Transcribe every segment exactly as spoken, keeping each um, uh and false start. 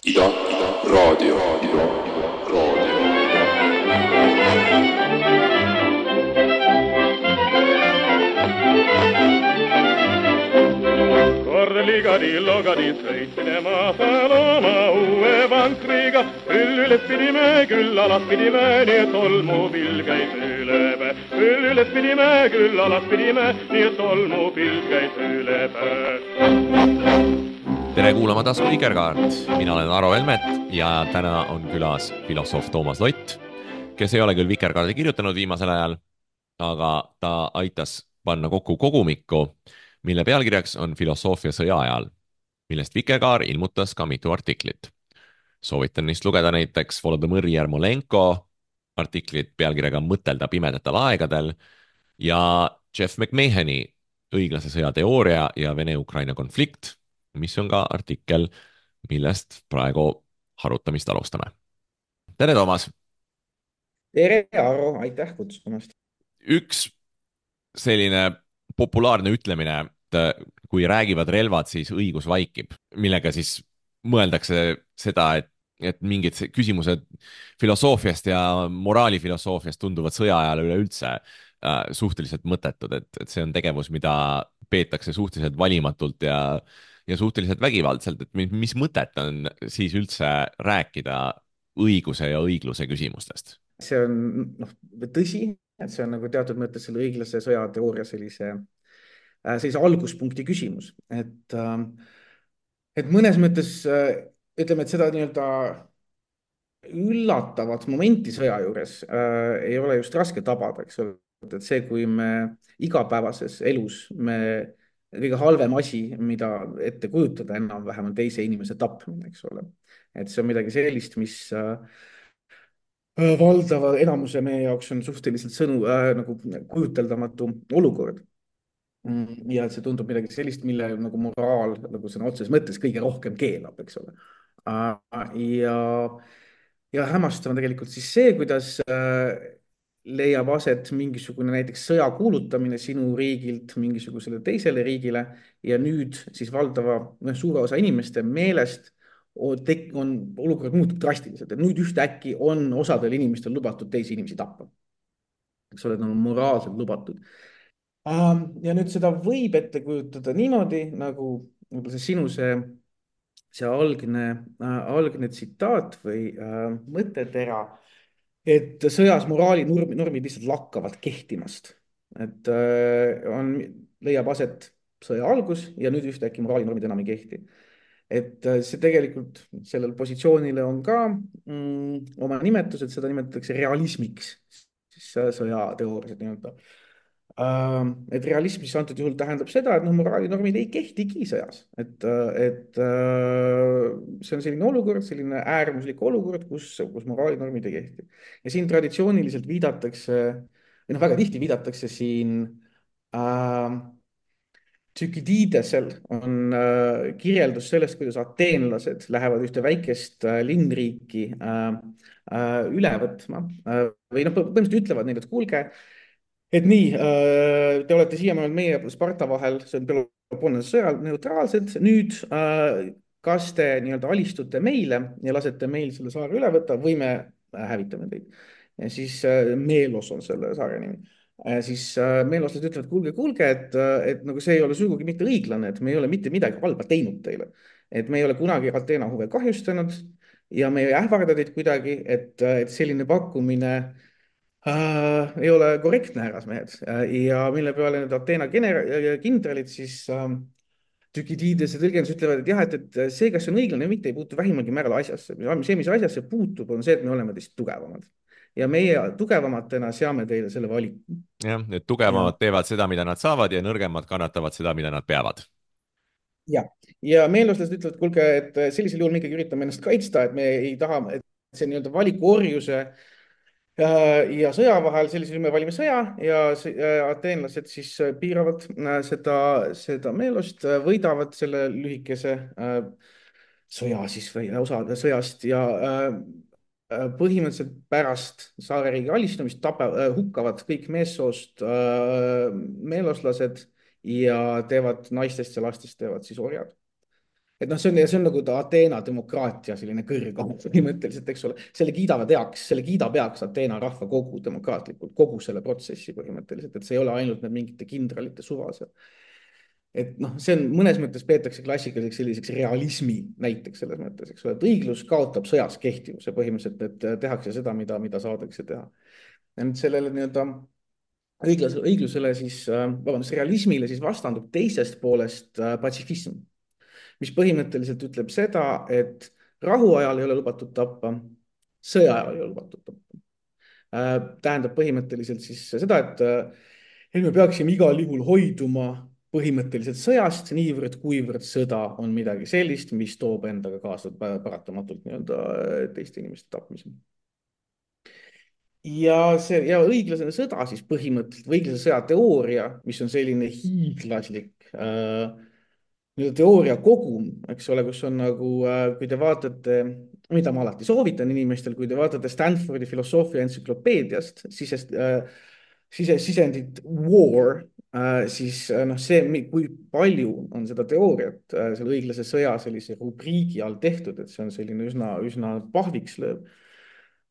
Ida, Ida, raadio, Ida, Ida, raadio. Korligadi, logadi, sõitsime maasal oma uue vankriga. Küll üles pidime, küll alas pidime, nii et tolmupilv käis üle päe. Küll üles pidime, küll alas pidime, nii et tolmupilv käis üle päe. Tere kuulama tasku Vikerkaart. Mina olen Aro Helmet ja täna on külas filosoof Toomas Lott, kes ei ole küll Vikerkaardi kirjutanud viimasel ajal, aga ta aitas panna kokku kogumikku, mille pealkirjaks on Filosoofia sõja ajal, millest Vikerkaar ilmutas ka mitu artiklit. Soovitan neist lugeda näiteks Volodõmõr Jermolenko artiklit pealkirjaga Mõtelda pimedatel aegadel ja Jeff McMahoni õiglase sõja teooria ja Vene-Ukraina konflikt, mis on ka artikkel, millest praegu harutamist alustame. Tere, Toomas! Tere, Aro, aitäh kutsumast! Üks selline populaarne ütlemine, et kui räägivad relvad, siis õigus vaikib, millega siis mõeldakse seda, et, et mingid küsimused filosoofiast ja moraalifilosoofiast tunduvad sõja ajal üleüldse äh, suhteliselt mõttetud, et, et see on tegevus, mida peetakse suhteliselt valimatult ja ja suhteliselt vägivaldselt, et mis mõtet on siis üldse rääkida õiguse ja õigluse küsimustest? See on noh, tõsi, et see on nagu teatud mõttes selle õiglase sõja teooria sellise, sellise alguspunkti küsimus. Et, et mõnes mõttes ütleme, et seda nii-öelda üllatavat momenti sõja juures äh, ei ole just raske tabada, eks ole. Et see, kui me igapäevases elus me kõige halvem asi, mida ette kujutada enam-vähem on teise inimese tapmine, eks ole. Et see on midagi sellist, mis äh, valdava enamuse meie jaoks on suhteliselt sõnu äh, nagu kujuteldamatu olukord. Ja see tundub midagi sellist, mille nagu moraal nagu sõna otseses mõttes kõige rohkem keelab, eks ole. Äh, ja, ja hämmastav on tegelikult siis see, kuidas äh, leiab aset mingisugune näiteks sõja kuulutamine sinu riigilt mingisugusele teisele riigile ja nüüd siis valdava suure osa inimeste meelest on olukord muutub drastiliselt, et nüüd ühtäkki on osadel inimestel lubatud teisi inimesi tappa. Eks ole, on moraalselt lubatud. Ja nüüd seda võib ette kujutada niimoodi, nagu see sinu see, see algne, algne tsitaat või äh, mõttetera, et sõjas moraali normid lihtsalt lakkavad kehtimast. Et on, leiab aset sõja algus ja nüüd ühtäkki moraalinormid enam ei kehti. Et see tegelikult sellel positsioonile on ka mm, oma nimetus, et seda nimetatakse realismiks, siis sõjateoorias nii-öelda. Et realism siis antud juhul tähendab seda, et no, moraalinormid ei kehtigi sõjas. Et, et see on selline olukord, selline äärmuslik olukord, kus, kus moraalinormid ei kehti. Ja siin traditsiooniliselt viidatakse, või noh, väga tihti viidatakse siin äh, Tükididesel on äh, kirjeldus sellest, kuidas ateenlased lähevad ühte väikest äh, linnriiki äh, äh, üle võtma äh, või noh, põhimõtteliselt ütlevad neile, et kuulge, et nii, te olete siiamaani meie Sparta vahel, see on Peloponnesose sõjal neutraalsed, nüüd kas te nii-öelda alistute meile ja lasete meil selle saare üle võtta või me hävitame teid. Ja siis Meelos on selle saare nimi. Ja siis meeloslased ütlevad, kuulge, kuulge, et, et nagu see ei ole sugugi mitte õiglane, et me ei ole mitte midagi halba teinud teile. Et me ei ole kunagi Ateena huve kahjustanud ja me ei ähvarda teid kuidagi, et, et selline pakkumine Uh, ei ole korrektne, härrasmehed. Uh, ja mille peale need Ateena kindralid siis uh, Tükidides ja tõlgendus ütlevad, et jah, et, et see, kas see on õiglane või mitte, ei puutu vähimalgi määral asjasse. See, mis asjasse puutub, on see, et me oleme teist tugevamad. Ja meie tugevamatena seame teile selle valiku. Jah, et tugevamad ja. teevad seda, mida nad saavad ja nõrgemad kannatavad seda, mida nad peavad. Ja, ja meeloslased ütlevad, kuulge, et sellisel juhul me ikkagi üritame ennast kaitsta, et me ei taha, et see nii-öelda valikuorjuse ja sõja vahel, sellisel me valime sõja ja ateenlased siis piiravad seda, seda meelost, võidavad selle lühikese sõja siis või osa sõjast ja põhimõtteliselt pärast saareriigi alistumist tapa, hukkavad kõik meessoost meeloslased ja teevad naistest ja lastest teevad siis orjad. et noh, see on, see on nagu ta Ateena demokraatia selline kõrgam põhimõtteliselt, eks ole, selle kiidavad heaks, selle kiidab heaks Ateena rahvakogu demokraatlikult, kogu selle protsessi põhimõtteliselt, et see ei ole ainult need mingite kindralite suva seal. Et noh, see on mõnes mõttes peetakse klassikaliseks selliseks realismi näiteks selles mõttes, eks ole, et õiglus kaotab sõjas kehtivuse põhimõtteliselt, et tehakse seda, mida, mida saadakse teha. ja nüüd sellele nii-öelda õiglasele, õiglusele siis, vabandust, realismile siis vastandub teisest poolest patsifism, mis põhimõtteliselt ütleb seda, et rahuajal ei ole lubatud tappa, sõjaajal ei ole lubatud tappa. Tähendab põhimõtteliselt siis seda, et, et me peaksime igal juhul hoiduma põhimõtteliselt sõjast, niivõrd kuivõrd sõda on midagi sellist, mis toob endaga kaasa paratamatult nii-öelda teiste inimeste tapmise. Ja see ja õiglasene sõda siis põhimõtteliselt, või õiglase sõja teooria, mis on selline hiiglaslik äh, teooria kogum, eks ole, kus on nagu, kui te vaatate, mida ma alati soovitan inimestel, kui te vaatate Stanfordi filosoofia entsüklopeediast, sisest, sise, sisendit war, siis noh, see, kui palju on seda teooriat selle õiglase sõja sellise rubriigi all tehtud, et see on selline üsna, üsna pahviks lööb.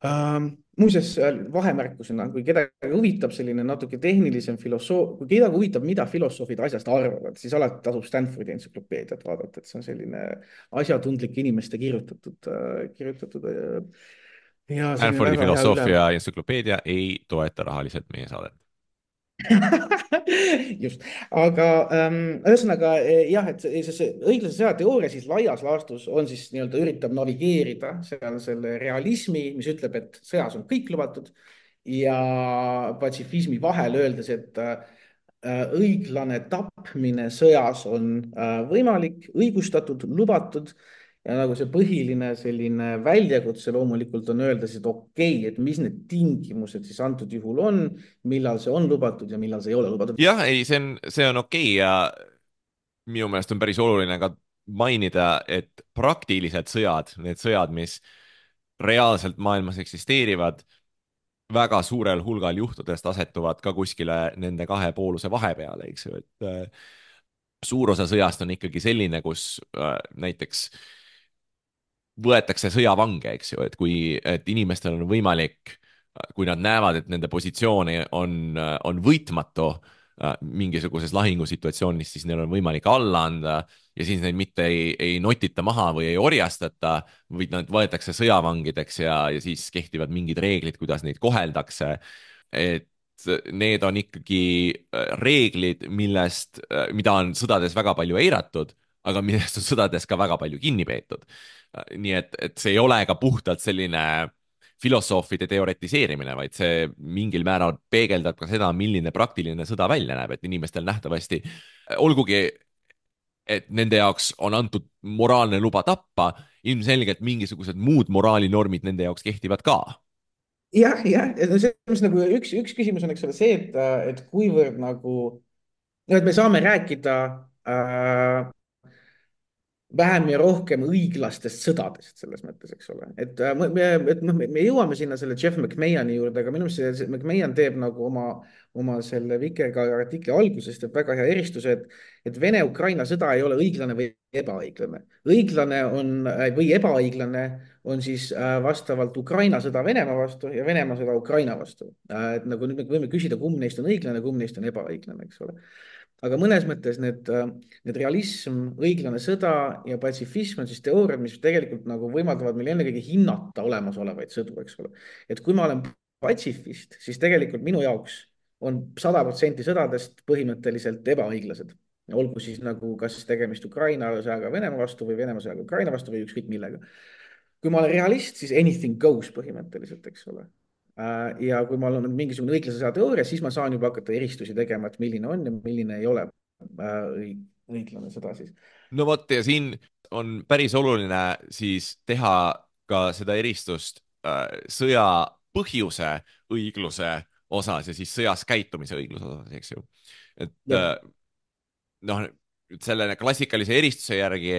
Uh, muuseas vahemärkusena, kui kedagi huvitab selline natuke tehnilisem filosoof, kui kedagi huvitab, mida filosoofid asjast arvavad, siis alati tasub Stanfordi entsüklopeediat vaadata, et see on selline asjatundlik inimeste kirjutatud, kirjutatud. Ja Stanfordi filosoofia entsüklopeedia ei toeta rahaliselt meie saadet. Just, aga ähm, ühesõnaga jah, et see, see õiglase sõja teooria siis laias laastus on siis nii-öelda üritab navigeerida seal selle realismi, mis ütleb, et sõjas on kõik lubatud ja patsifismi vahel öeldes, et äh, õiglane tapmine sõjas on äh, võimalik, õigustatud, lubatud. Ja nagu see põhiline selline väljakutse loomulikult on öelda, et okei, okay, et mis need tingimused siis antud juhul on, millal see on lubatud ja millal see ei ole lubatud. Jah, ei, see on, see on okei okay ja minu meelest on päris oluline ka mainida, et praktilised sõjad, need sõjad, mis reaalselt maailmas eksisteerivad, väga suurel hulgal juhtudest asetuvad ka kuskile nende kahe pooluse vahepeale, eks ju, et äh, suur osa sõjast on ikkagi selline, kus äh, näiteks võetakse sõjavange, eks ju, et kui et inimestel on võimalik, kui nad näevad, et nende positsiooni on, on võitmatu mingisuguses lahingusituatsioonis, siis neil on võimalik alla anda ja siis neid mitte ei, ei notita maha või ei orjastata, vaid nad võetakse sõjavangideks ja, ja siis kehtivad mingid reeglid, kuidas neid koheldakse. Et need on ikkagi reeglid, millest, mida on sõdades väga palju eiratud, aga millest on sõdades ka väga palju kinni peetud. Nii et, et see ei ole ka puhtalt selline filosoofide teoretiseerimine, vaid see mingil määral peegeldab ka seda, milline praktiline sõda välja näeb, et inimestel nähtavasti, olgugi, et nende jaoks on antud moraalne luba tappa, ilmselgelt mingisugused muud moraalinormid nende jaoks kehtivad ka. Jah, jah, see nagu üks, üks küsimus on, eks ole, see, et, et kuivõrd nagu, et me saame rääkida äh, vähem ja rohkem õiglastest sõdadest selles mõttes, eks ole. Et me, et noh, me jõuame sinna selle Jeff McMahoni juurde, aga minu meelest see McMahon teeb nagu oma, oma selle Vikerkaare artikli algusest, et väga hea eristuse, et, et Vene-Ukraina sõda ei ole õiglane või ebaõiglane. Õiglane on või ebaõiglane on siis vastavalt Ukraina sõda Venemaa vastu ja Venemaa sõda Ukraina vastu. Et nagu nüüd me võime küsida, kumb neist on õiglane, kumb neist on ebaõiglane, eks ole. Aga mõnes mõttes need, need realism, õiglane sõda ja patsifism on siis teooriad, mis tegelikult nagu võimaldavad meil ennekõike hinnata olemasolevaid sõdu, eks ole. Et kui ma olen patsifist, siis tegelikult minu jaoks on sada protsenti sõdadest põhimõtteliselt ebaõiglased. Olgu siis nagu kas tegemist Ukraina sõjaga Venemaa vastu või Venemaa sõjaga Ukraina vastu või ükskõik millega. Kui ma olen realist, siis anything goes põhimõtteliselt, eks ole. Ja kui ma olen mingisugune õiglase sõja teooria, siis ma saan juba hakata eristusi tegema, et milline on ja milline ei ole õiglane sõda siis. No vot, ja siin on päris oluline siis teha ka seda eristust sõja põhjuse õigluse osas ja siis sõjas käitumise õigluse osas, eks ju. Et ja. noh, selle klassikalise eristuse järgi,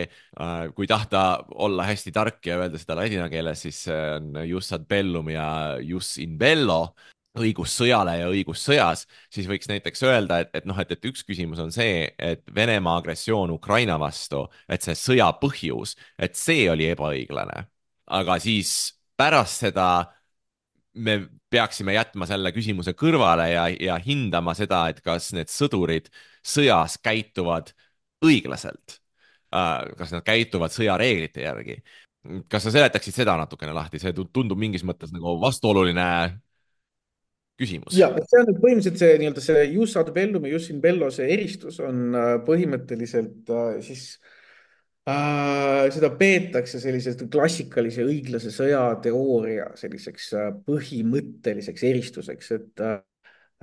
kui tahta olla hästi tark ja öelda seda ladina keeles, siis see on jus ad bellum ja jus in bello. õigus sõjale ja õigus sõjas, siis võiks näiteks öelda, et, et noh, et, et üks küsimus on see, et Venemaa agressioon Ukraina vastu, et see sõja põhjus, et see oli ebaõiglane. aga siis pärast seda me peaksime jätma selle küsimuse kõrvale ja, ja hindama seda, et kas need sõdurid sõjas käituvad õiglaselt. kas nad käituvad sõjareeglite järgi. kas sa seletaksid seda natukene lahti, see tundub mingis mõttes nagu vastuoluline küsimus. ja see on nüüd põhimõtteliselt see nii-öelda see jus ad bellum ja jus in bello, see eristus on äh, põhimõtteliselt äh, siis äh, seda peetakse sellisest klassikalise õiglase sõja teooria selliseks äh, põhimõtteliseks eristuseks, et äh,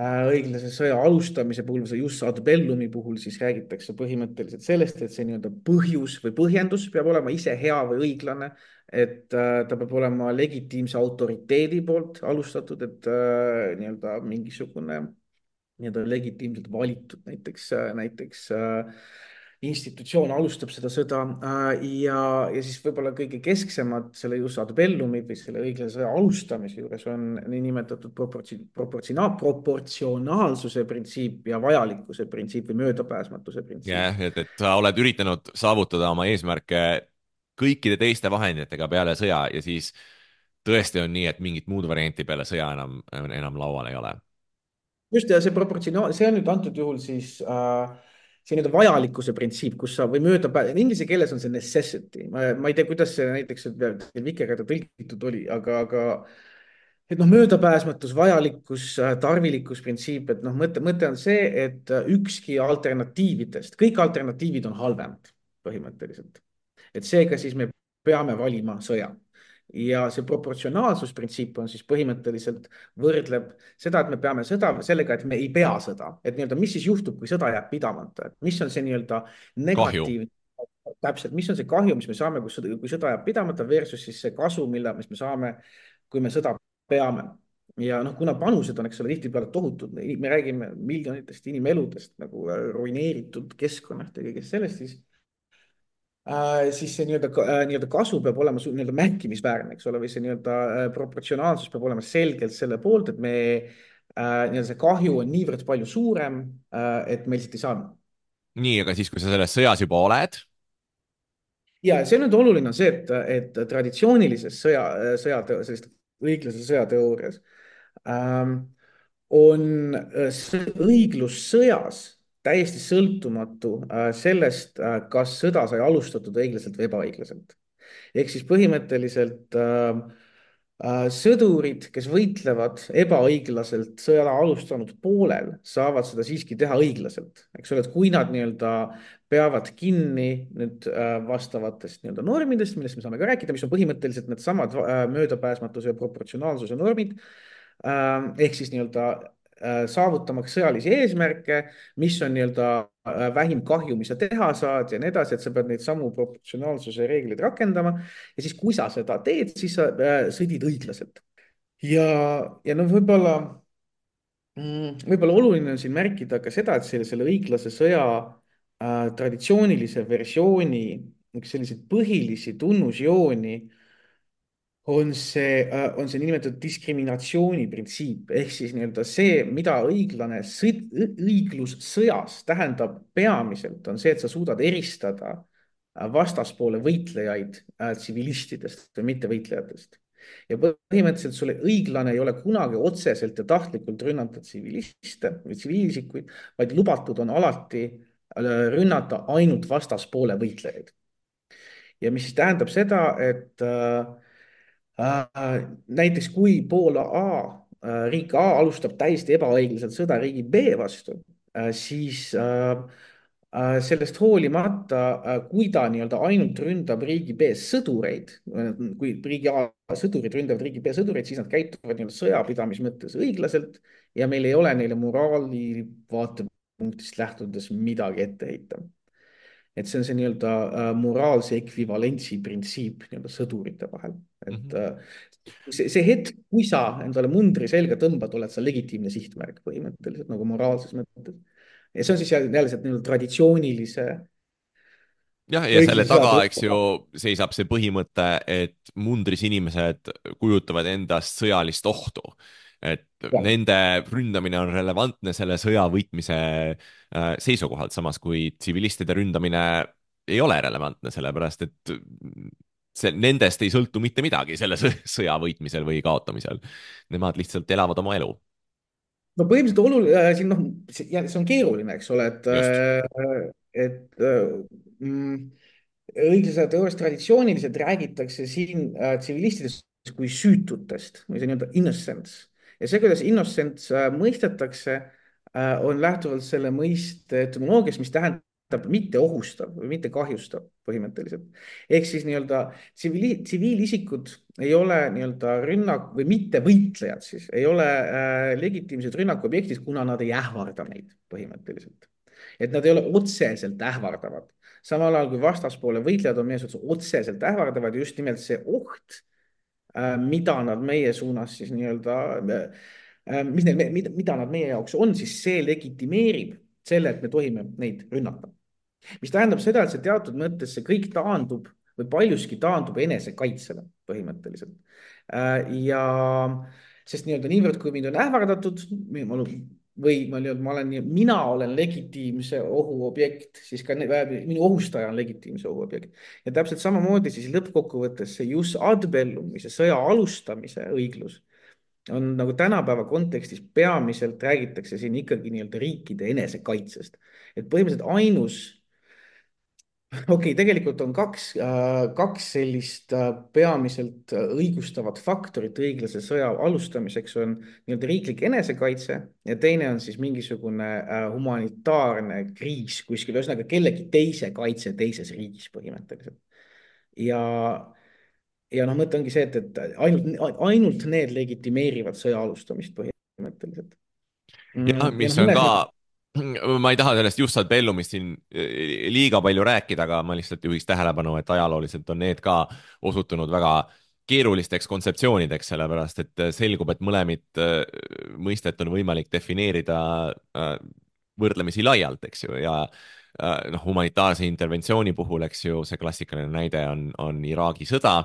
äh, õiglase sõja alustamise puhul, see jus ad bellumi puhul siis räägitakse põhimõtteliselt sellest, et see nii-öelda põhjus või põhjendus peab olema ise hea või õiglane, et äh, ta peab olema legitiimse autoriteedi poolt alustatud, et äh, nii-öelda mingisugune nii-öelda legitiimselt valitud näiteks, näiteks äh, institutsioon alustab seda sõda äh, ja, ja siis võib-olla kõige kesksemad selle jus ad bellumi või selle õiglase sõja alustamise juures on niinimetatud proportsi-, proportsiona-, proportsionaalsuse printsiip ja vajalikkuse printsiip või möödapääsmatuse printsiip. jah, et, et sa oled üritanud saavutada oma eesmärke kõikide teiste vahenditega peale sõja ja siis tõesti on nii, et mingit muud varianti peale sõja enam, enam laual ei ole. just, ja see proportsionaal, see on nüüd antud juhul siis äh, see nii-öelda vajalikkuse printsiip, kus sa või mööda, inglise keeles on see necessity, ma, ma ei tea, kuidas see näiteks Vikerkaare tõlgitud oli, aga, aga et noh, möödapääsmatus, vajalikkus, tarvilikkus printsiip, et noh, mõte, mõte on see, et ükski alternatiividest, kõik alternatiivid on halvemad põhimõtteliselt. et seega siis me peame valima sõja. ja see proportsionaalsusprintsiip on siis põhimõtteliselt võrdleb seda, et me peame sõda sellega, et me ei pea sõda, et nii-öelda, mis siis juhtub, kui sõda jääb pidamata, et mis on see nii-öelda negatiivne, täpselt, mis on see kahju, mis me saame, kui sõda, kui sõda jääb pidamata versus siis see kasu, mille, mis me saame, kui me sõda peame. ja noh, kuna panused on, eks ole, tihtipeale tohutud, me räägime miljonitest inimeludest nagu ruineeritud keskkonnast ja kõigest sellest, siis Äh, siis see nii-öelda äh, nii-öelda kasu peab olema nii-öelda märkimisväärne, eks ole, või see nii-öelda äh, proportsionaalsus peab olema selgelt selle poolt, et me äh, nii-öelda see kahju on niivõrd palju suurem äh,, et me lihtsalt ei saa. nii, aga siis, kui sa selles sõjas juba oled. ja see on nüüd oluline on see, et, et traditsioonilises sõja, sõja, sellist õiglase sõjateoorias ähm, on õiglus sõjas täiesti sõltumatu sellest, kas sõda sai alustatud õiglaselt või ebaõiglaselt. ehk siis põhimõtteliselt äh, äh, sõdurid, kes võitlevad ebaõiglaselt sõja alustanud poolel, saavad seda siiski teha õiglaselt. eks ole, et kui nad nii-öelda peavad kinni nüüd äh, vastavatest nii-öelda normidest, millest me saame ka rääkida, mis on põhimõtteliselt needsamad äh, möödapääsmatuse ja proportsionaalsuse normid äh,, ehk siis nii-öelda saavutamaks sõjalisi eesmärke, mis on nii-öelda vähim kahju, mis sa teha saad ja nii edasi, et sa pead neid samu proportsionaalsuse reegleid rakendama. ja siis, kui sa seda teed, siis sa sõdid õiglaselt. ja, ja noh, võib-olla, võib-olla oluline on siin märkida ka seda, et selle, selle õiglase sõja äh, traditsioonilise versiooni üks selliseid põhilisi tunnusjooni on see, on see niinimetatud diskriminatsiooni printsiip ehk siis nii-öelda see, mida õiglane sõd, õiglus sõjas tähendab peamiselt, on see, et sa suudad eristada vastaspoole võitlejaid tsivilistidest või mittevõitlejatest. ja põhimõtteliselt sulle õiglane ei ole kunagi otseselt ja tahtlikult rünnata tsiviliste või tsiviilisikuid, vaid lubatud on alati rünnata ainult vastaspoole võitlejaid. ja mis siis tähendab seda, et äh, Äh, näiteks kui pool A, äh, riik A alustab täiesti ebaõiglaselt sõda riigi B vastu, äh, siis sellest hoolimata, kui ta nii-öelda ainult ründab riigi B sõdureid, kui riigi A sõdurid ründavad riigi B sõdureid, siis nad käituvad nii-öelda sõjapidamise mõttes õiglaselt ja meil ei ole neile moraali vaatepunktist lähtudes midagi ette heita. et see on see nii-öelda äh, moraalse ekvivalentsi printsiip nii-öelda sõdurite vahel. et mm -hmm. see, see hetk, kui sa endale mundri selga tõmbad, oled sa legitiimne sihtmärk põhimõtteliselt nagu moraalses mõttes. ja see on siis jälle see nii-öelda traditsioonilise. jah, ja selle taga, eks ju, seisab see põhimõte, et mundris inimesed kujutavad endast sõjalist ohtu. et jah. nende ründamine on relevantne selle sõja võitmise äh, seisukohalt, samas kui tsivilistide ründamine ei ole relevantne, sellepärast et see, nendest ei sõltu mitte midagi selle sõja võitmisel või kaotamisel. Nemad lihtsalt elavad oma elu. No põhimõtteliselt oluline äh, siin noh, see see on keeruline, eks ole, et Just. äh, et äh, mm, õiglase teooriast traditsiooniliselt räägitakse siin äh, tsivilistidest kui süütutest või see nii-öelda innocence. Ja see, kuidas innocence äh, mõistetakse äh,, on lähtuvalt selle mõiste etümoloogiast, mis tähendab mitte ohustav või mitte kahjustav põhimõtteliselt. Ehk siis nii-öelda tsiviili, tsiviilisikud ei ole nii-öelda rünnak või mitte võitlejad siis, ei ole äh, legitiimsed rünnakuobjektid, kuna nad ei ähvarda meid põhimõtteliselt. Et nad ei ole otseselt ähvardavad. Samal ajal kui vastaspoole võitlejad on meie suhtes otseselt ähvardavad, just nimelt see oht, äh, mida nad meie suunas siis nii-öelda, äh, mis need, mida, mida nad meie jaoks on, siis see legitimeerib selle, et me tohime neid rünnata. Mis tähendab seda, et see teatud mõttes see kõik taandub või paljuski taandub enesekaitsele põhimõtteliselt. Ja sest nii-öelda niivõrd, kui mind on ähvardatud või ma, ma olen, mina olen legitiimse ohuobjekt, siis ka minu ohustaja on legitiimse ohuobjekt. Ja täpselt samamoodi siis lõppkokkuvõttes see jus ad bellum või see sõja alustamise õiglus on nagu tänapäeva kontekstis peamiselt räägitakse siin ikkagi nii-öelda riikide enesekaitsest. Et põhimõtteliselt ainus okei, okay, tegelikult on kaks, kaks sellist peamiselt õigustavat faktorit õiglase sõja alustamiseks on nii-öelda riiklik enesekaitse ja teine on siis mingisugune humanitaarne kriis kuskil, ühesõnaga kellegi teise kaitse teises riigis põhimõtteliselt. Ja, ja noh, mõte ongi see, et, et ainult, ainult need legitimeerivad sõja alustamist põhimõtteliselt. Ja, mis on ka ma ei taha sellest just ad bellumist siin liiga palju rääkida, aga ma lihtsalt juhiks tähelepanu, et ajalooliselt on need ka osutunud väga keerulisteks kontseptsioonideks, sellepärast et selgub, et mõlemit mõistet on võimalik defineerida võrdlemisi laialt, eks ju, ja noh, humanitaarse interventsiooni puhul, eks ju, see klassikaline näide on, on Iraagi sõda,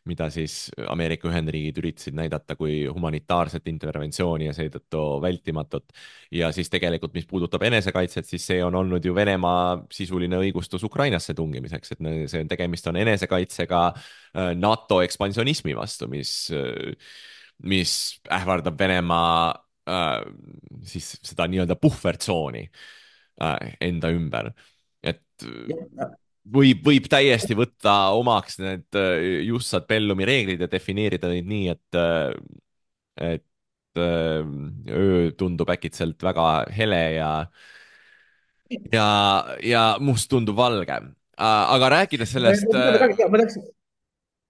mida siis Ameerika Ühendriigid üritasid näidata kui humanitaarset interventsiooni ja seetõttu vältimatut. Ja siis tegelikult, mis puudutab enesekaitset, siis see on olnud ju Venemaa sisuline õigustus Ukrainasse tungimiseks, et see on tegemist on enesekaitsega NATO ekspansionismi vastu, mis, mis ähvardab Venemaa siis seda nii-öelda puhvertsooni enda ümber. Et võib, võib täiesti võtta omaks need just ad bellumi reeglid ja defineerida neid nii, et, et öö tundub äkitselt väga hele ja, ja, ja must tundub valge. Aga rääkides sellest... Ma tahaks,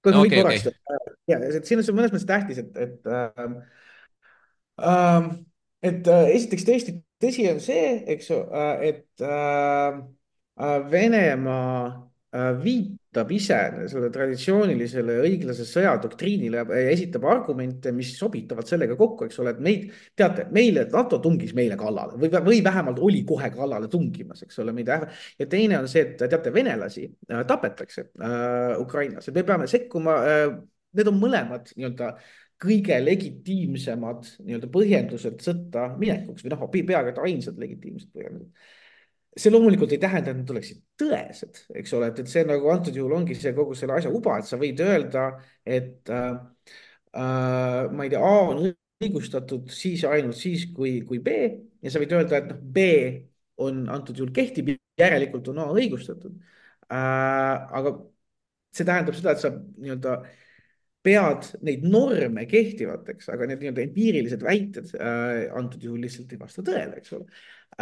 kui ma võin okay, korraks, okay. ja, et siin on see mõnes mõttes tähtis, et, et äh, äh, et äh, esiteks tõesti tõsi on see, eks ju, et äh, Venemaa äh, viitab ise selle traditsioonilisele õiglase sõja doktriinile ja esitab argumente, mis sobitavad sellega kokku, eks ole, et meid, teate, meile, NATO tungis meile kallale või, või vähemalt oli kohe kallale tungimas, eks ole, meid. Ja teine on see, et teate, venelasi äh, tapetakse äh, Ukrainas ja me peame sekkuma äh, need on mõlemad nii-öelda kõige legitiimsemad nii-öelda põhjendused sõtta minekuks või noh, peaaegu et ainsad legitiimsed põhjendused. See loomulikult ei tähenda, et need oleksid tõesed, eks ole, et, et see nagu antud juhul ongi see kogu selle asja uba, et sa võid öelda, et äh, äh, ma ei tea, A on õigustatud siis ainult siis, kui, kui B ja sa võid öelda, et noh, B on antud juhul kehtib, järelikult on A õigustatud äh,. aga see tähendab seda, et sa nii-öelda pead neid norme kehtivateks, aga need nii-öelda empiirilised väited äh, antud juhul lihtsalt ei vasta tõele, eks ole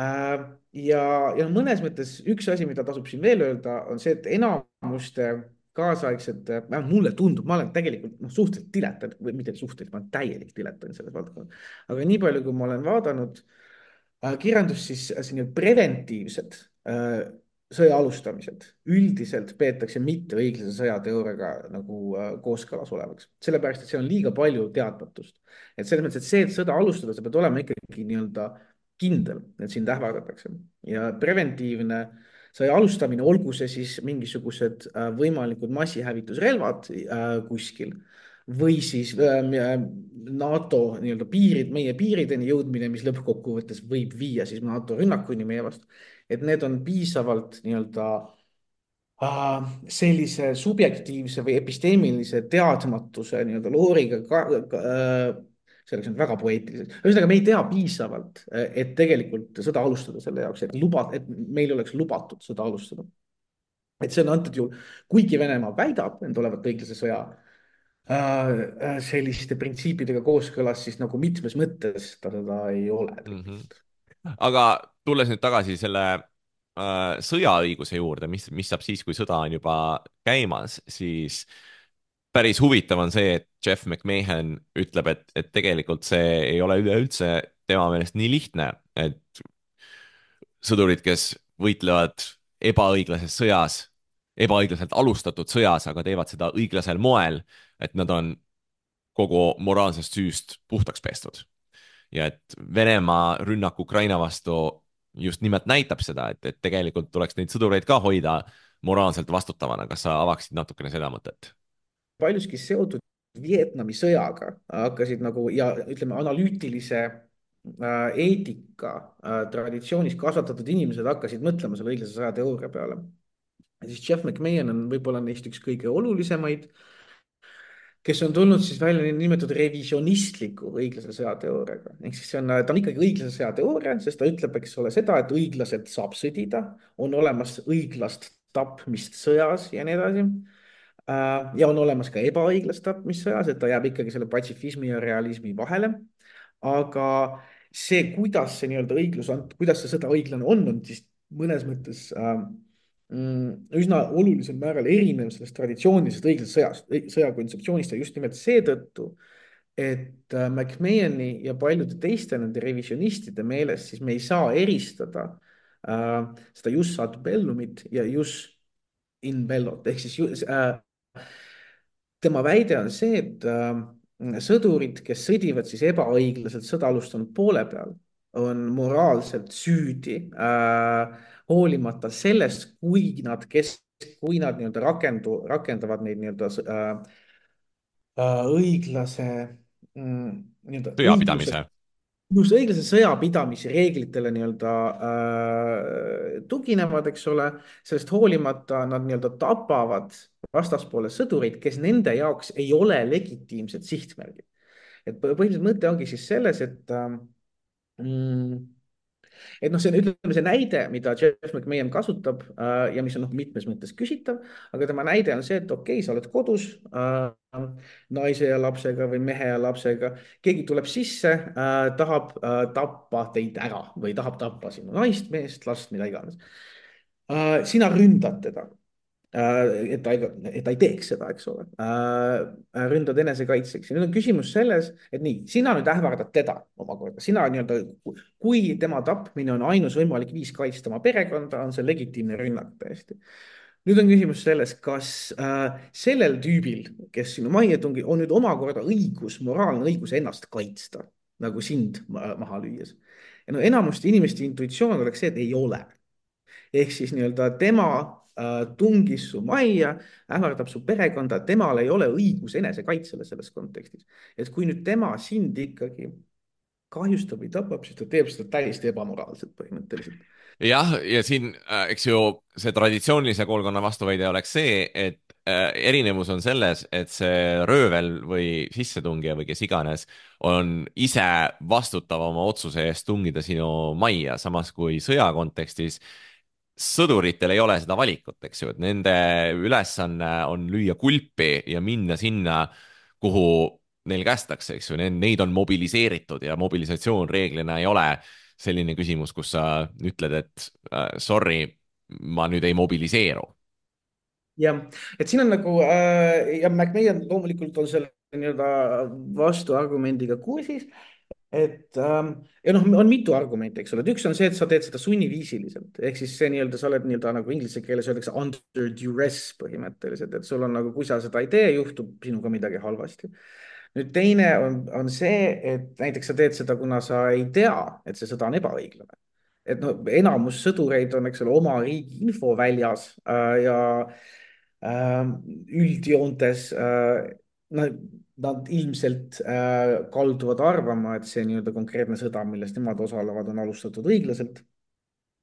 äh,. ja, ja mõnes mõttes üks asi, mida tasub siin veel öelda, on see, et enamuste kaasaegsete, mulle tundub, ma olen tegelikult no, suhteliselt diletant, või mitte suhteliselt, ma olen täielik diletant selles valdkonnas, aga nii palju, kui ma olen vaadanud äh, kirjandust, siis selline preventiivsed äh, sõja alustamised üldiselt peetakse mitte õiglase sõjateooriaga nagu äh, kooskõlas olevaks. Sellepärast, et see on liiga palju teadmatust. Et selles mõttes, et see, et sõda alustada, sa pead olema ikkagi nii-öelda kindel, et sind ähvardatakse. Ja preventiivne sõja alustamine, olgu see siis mingisugused äh, võimalikud massihävitusrelvad äh, kuskil või siis ähm, äh, NATO nii-öelda piirid, meie piirideni jõudmine, mis lõppkokkuvõttes võib viia siis NATO rünnakuni meie vastu. et need on piisavalt nii-öelda äh, sellise subjektiivse või episteemilise teadmatuse nii-öelda looriga ka, ka, äh, see oleks nüüd väga poeetiliselt. ühesõnaga, me ei tea piisavalt, et tegelikult sõda alustada selle jaoks, et luba, et meil oleks lubatud sõda alustada. et see on antud juhul, kuigi Venemaa väidab end olevat õiglase sõja äh, selliste printsiipidega kooskõlas, siis nagu mitmes mõttes ta seda ei ole mm. -hmm. tegelikult. aga tulles nüüd tagasi selle äh, sõjaõiguse juurde, mis, mis saab siis, kui sõda on juba käimas, siis päris huvitav on see, et Jeff McMahon ütleb, et, et tegelikult see ei ole üleüldse tema meelest nii lihtne, et sõdurid, kes võitlevad ebaõiglases sõjas, ebaõiglaselt alustatud sõjas, aga teevad seda õiglasel moel, et nad on kogu moraalsest süüst puhtaks pestud. ja et Venemaa rünnak Ukraina vastu just nimelt näitab seda, et, et tegelikult tuleks neid sõdureid ka hoida moraalselt vastutavana. kas sa avaksid natukene seda mõtet? paljuski seotud Vietnami sõjaga hakkasid nagu ja ütleme, analüütilise äh, eetika äh, traditsioonis kasvatatud inimesed hakkasid mõtlema selle õiglase sõja teooria peale. ja siis Jeff McMahon on võib-olla neist üks kõige olulisemaid, kes on tulnud siis välja nimetatud revisionistliku õiglase sõja teooriaga. ehk siis see on, ta on ikkagi õiglase sõja teooria, sest ta ütleb, eks ole, seda, et õiglaselt saab sõdida, on olemas õiglast tapmist sõjas ja nii edasi. ja on olemas ka ebaõiglast tapmist sõjas, et ta jääb ikkagi selle patsifismi ja realismi vahele. aga see, kuidas see nii-öelda õiglus on, kuidas see sõda õiglane on, on siis mõnes mõttes äh, üsna olulisel määral erinev sellest traditsioonilisest õiglasest sõjast, sõja kontseptsioonist ja just nimelt seetõttu, et McMahoni ja paljude teiste nende revisionistide meelest siis me ei saa eristada äh, seda jus ad bellumit ja jus in bellot ehk siis just, äh, tema väide on see, et äh, sõdurid, kes sõdivad siis ebaõiglaselt sõda alustanud poole peal, on moraalselt süüdi äh, hoolimata sellest, kui nad, kes, kui nad nii-öelda rakendu, rakendavad neid nii-öelda äh, äh, õiglase mm, nii-öelda sõjapidamise. just õiglase sõjapidamise reeglitele nii-öelda äh, tuginevad, eks ole, sellest hoolimata nad nii-öelda tapavad vastaspoole sõdureid, kes nende jaoks ei ole legitiimsed sihtmärgid. et põhiliselt mõte ongi siis selles, et äh, mm, et noh, see on, ütleme, see näide, mida Jeff McMahon kasutab äh, ja mis on noh, mitmes mõttes küsitav, aga tema näide on see, et okei okay,, sa oled kodus äh, naise ja lapsega või mehe ja lapsega, keegi tuleb sisse äh,, tahab äh, tappa teid ära või tahab tappa sinu naist, meest, last, mida iganes äh,. sina ründad teda äh,, et ta ei, et ta ei teeks seda, eks ole äh,, ründad enesekaitseks ja nüüd on küsimus selles, et nii, sina nüüd ähvardad teda omakorda, sina nii-öelda, kui tema tapmine on ainus võimalik viis kaitsta oma perekonda, on see legitiimne rünnak täiesti. nüüd on küsimus selles, kas äh, sellel tüübil, kes sinu majja tungib, on nüüd omakorda õigus, moraalne õigus ennast kaitsta, nagu sind maha lüües. ja no enamuste inimeste intuitsioon oleks see, et ei ole. ehk siis nii-öelda tema äh, tungis su majja, ähvardab su perekonda, temal ei ole õigus enesekaitsele selles kontekstis. et kui nüüd tema sind ikkagi kahjustab või tapab, siis ta teeb seda täiesti ebamoraalselt põhimõtteliselt. jah, ja siin, eks ju, see traditsioonilise koolkonna vastuväide oleks see, et erinevus on selles, et see röövel või sissetungija või kes iganes on ise vastutav oma otsuse eest tungida sinu majja, samas kui sõja kontekstis sõduritel ei ole seda valikut, eks ju, et nende ülesanne on lüüa kulpi ja minna sinna, kuhu neil kästakse, eks ju, neid on mobiliseeritud ja mobilisatsioon reeglina ei ole selline küsimus, kus sa ütled, et uh, sorry, ma nüüd ei mobiliseeru. jah, et siin on nagu äh, ja McMahon loomulikult on selle nii-öelda vastuargumendiga kursis, et ähm, ja noh, on mitu argumenti, eks ole, et üks on see, et sa teed seda sunniviisiliselt, ehk siis see nii-öelda, sa oled nii-öelda nagu inglise keeles öeldakse under duress põhimõtteliselt, et sul on nagu, kui sa seda ei tee, juhtub sinuga midagi halvasti. nüüd teine on, on see, et näiteks sa teed seda, kuna sa ei tea, et see sõda on ebaõiglane. et noh, enamus sõdureid on, eks ole, oma riigi infoväljas äh, ja äh, üldjoontes äh, no nad ilmselt äh, kalduvad arvama, et see nii-öelda konkreetne sõda, milles nemad osalevad, on alustatud õiglaselt.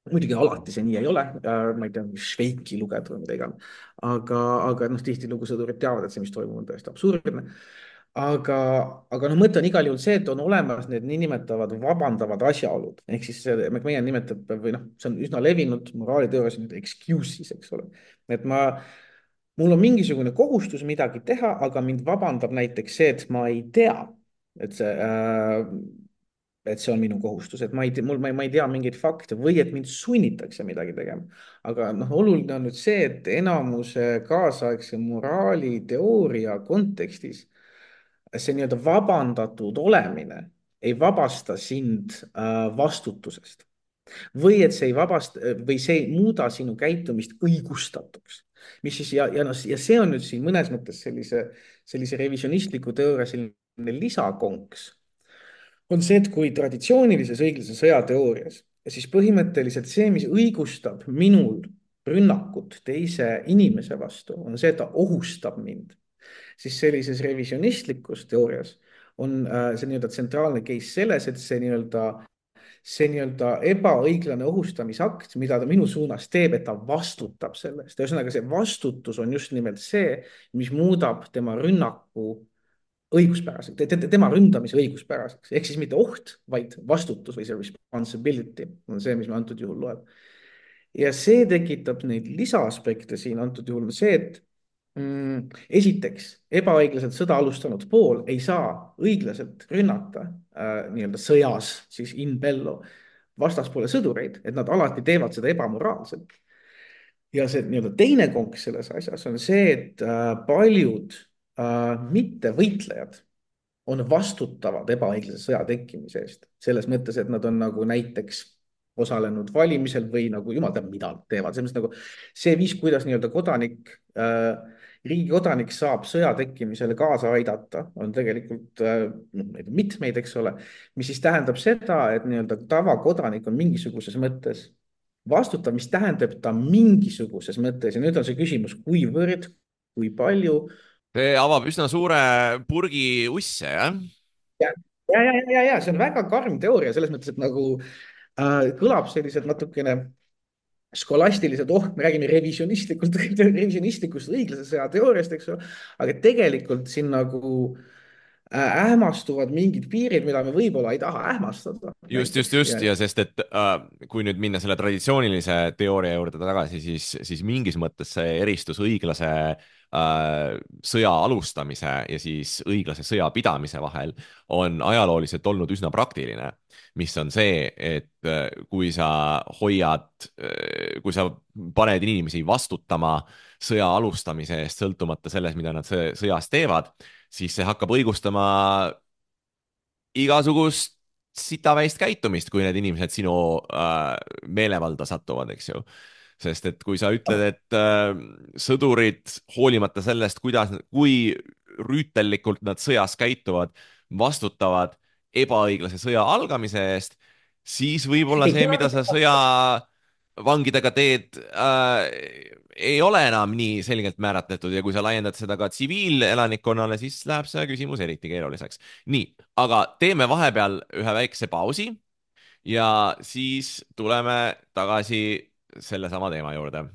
Muidugi alati see nii ei ole, ma ei tea, Šveiki lugeda või mida iganes, aga, aga noh, tihtilugu sõdurid teavad, et see, mis toimub, on tõesti absurdne. Aga, aga noh, mõte on igal juhul see, et on olemas need niinimetavad vabandavad asjaolud, ehk siis see, meie nimetab või noh, see on üsna levinud moraaliteoorias nüüd excuses, eks ole. Et ma, mul on mingisugune kohustus midagi teha, aga mind vabandab näiteks see, et ma ei tea, et see äh, et see on minu kohustus, et ma ei tea, mul, ma ei, ma ei tea mingeid fakte või et mind sunnitakse midagi tegema. Aga noh, oluline on nüüd see, et enamuse kaasaegse moraaliteooria kontekstis see nii-öelda vabandatud olemine ei vabasta sind äh, vastutusest. Või et see ei vabasta või see ei muuda sinu käitumist õigustatuks. Mis siis ja, ja, no, ja see on nüüd siin mõnes mõttes sellise, sellise revisionistliku teooria selline lisakonks. On see, et kui traditsioonilises õiglase sõjateoorias, siis põhimõtteliselt see, mis õigustab minul rünnakut teise inimese vastu, on see, et ta ohustab mind. Siis sellises revisionistlikus teoorias on äh, see nii-öelda tsentraalne case selles, et see nii-öelda see nii-öelda ebaõiglane ohustamisakt, mida ta minu suunas teeb, et ta vastutab sellest. Ühesõnaga, see vastutus on just nimelt see, mis muudab tema rünnaku õiguspäraseks, tema ründamise õiguspäraseks, ehk siis mitte oht, vaid vastutus või see responsibility on see, mis me antud juhul loeb. Ja see tekitab neid lisaaspekte siin antud juhul see, et mm, esiteks ebaõiglaselt sõda alustanud pool ei saa õiglaselt rünnata äh, nii-öelda sõjas, siis in bello vastaspoole sõdureid, et nad alati teevad seda ebamoraalselt. Ja see nii-öelda teine konks selles asjas on see, et äh, paljud Uh, mitte võitlejad on vastutavad ebaõiglase sõja tekkimise eest. Selles mõttes, et nad on nagu näiteks osalenud valimisel või nagu jumal teab, mida teevad. Selles nagu see viis, kuidas nii-öelda kodanik, uh, riigi kodanik saab sõja tekkimisele kaasa aidata, on tegelikult uh, mitmeid, eks ole, mis siis tähendab seda, et nii-öelda tavakodanik on mingisuguses mõttes vastutav, mis tähendab ta mingisuguses mõttes ja nüüd on see küsimus, kuivõrd, kui palju. See avab üsna suure purgi usse, jah? Ja, ja, ja, ja, ja, see on väga karm teooria selles mõttes, et nagu äh, kõlab sellised natukene skolastiliselt, oh, me räägime revisionistlikult, revisionistlikust õiglase sõja teooriast, eks ole, aga tegelikult siin nagu ähmastuvad mingid piirid, mida me võib-olla ei taha ähmastada. Just, just, just ja, ja sest, et äh, kui nüüd minna selle traditsioonilise teooria juurde tagasi, siis, siis mingis mõttes see eristus õiglase äh, sõja alustamise ja siis õiglase sõja pidamise vahel on ajalooliselt olnud üsna praktiline, mis on see, et äh, kui sa hoiad, äh, kui sa paned inimesi vastutama sõja alustamise eest, sõltumata sellest, mida nad sõjas teevad, siis see hakkab õigustama igasugust sitaväist käitumist, kui need inimesed sinu äh, meelevalda satuvad, eks ju. Sest et kui sa ütled, et äh, sõdurid hoolimata sellest, kuidas, kui rüütellikult nad sõjas käituvad, vastutavad ebaõiglase sõja algamise eest, siis võib-olla see, mida sa sõja vangidega teed, äh, ei ole enam nii selgelt määratletud ja kui sa laiendad seda ka tsiviilelanikkonnale, siis läheb see küsimus eriti keeruliseks. Nii, aga teeme vahepeal ühe väikse pausi ja siis tuleme tagasi selle sama teema juurde.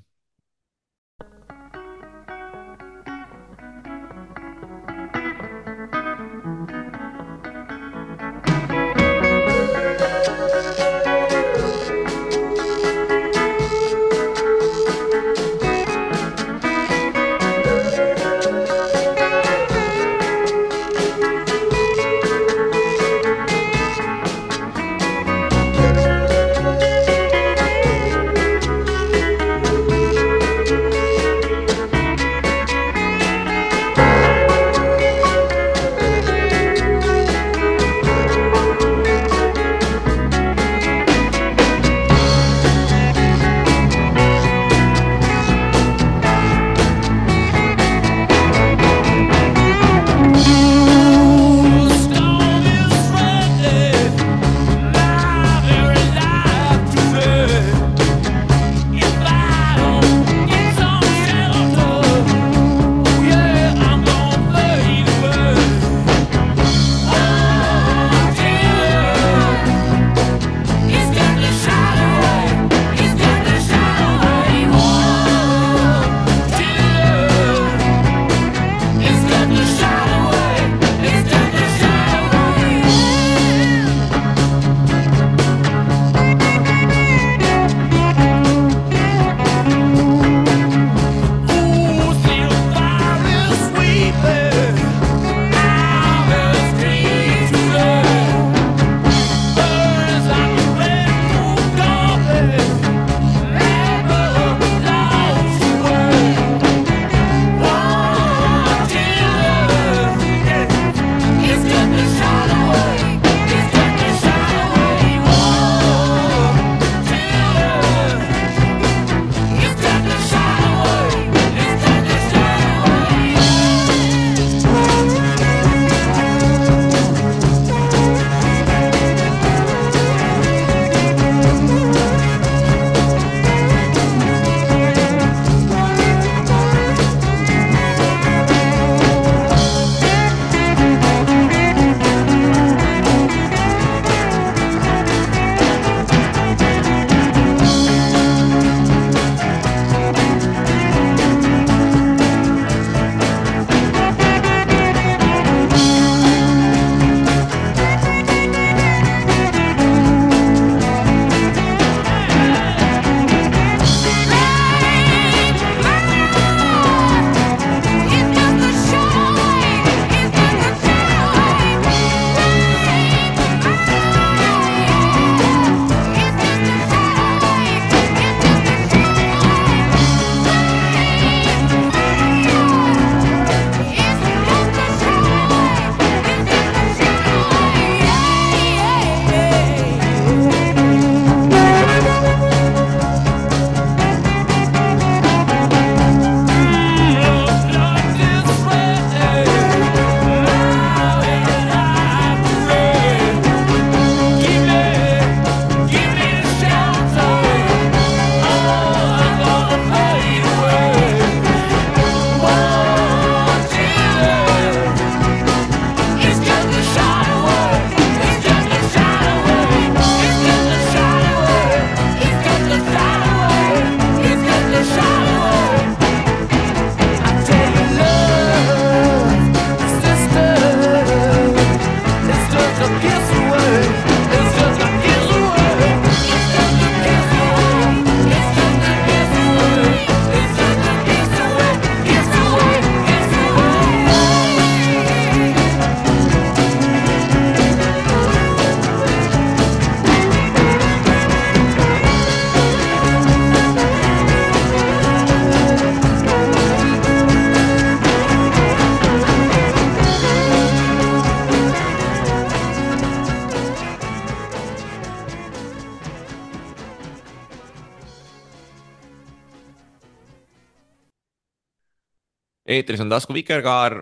eetris on Tasku Vikerkaar,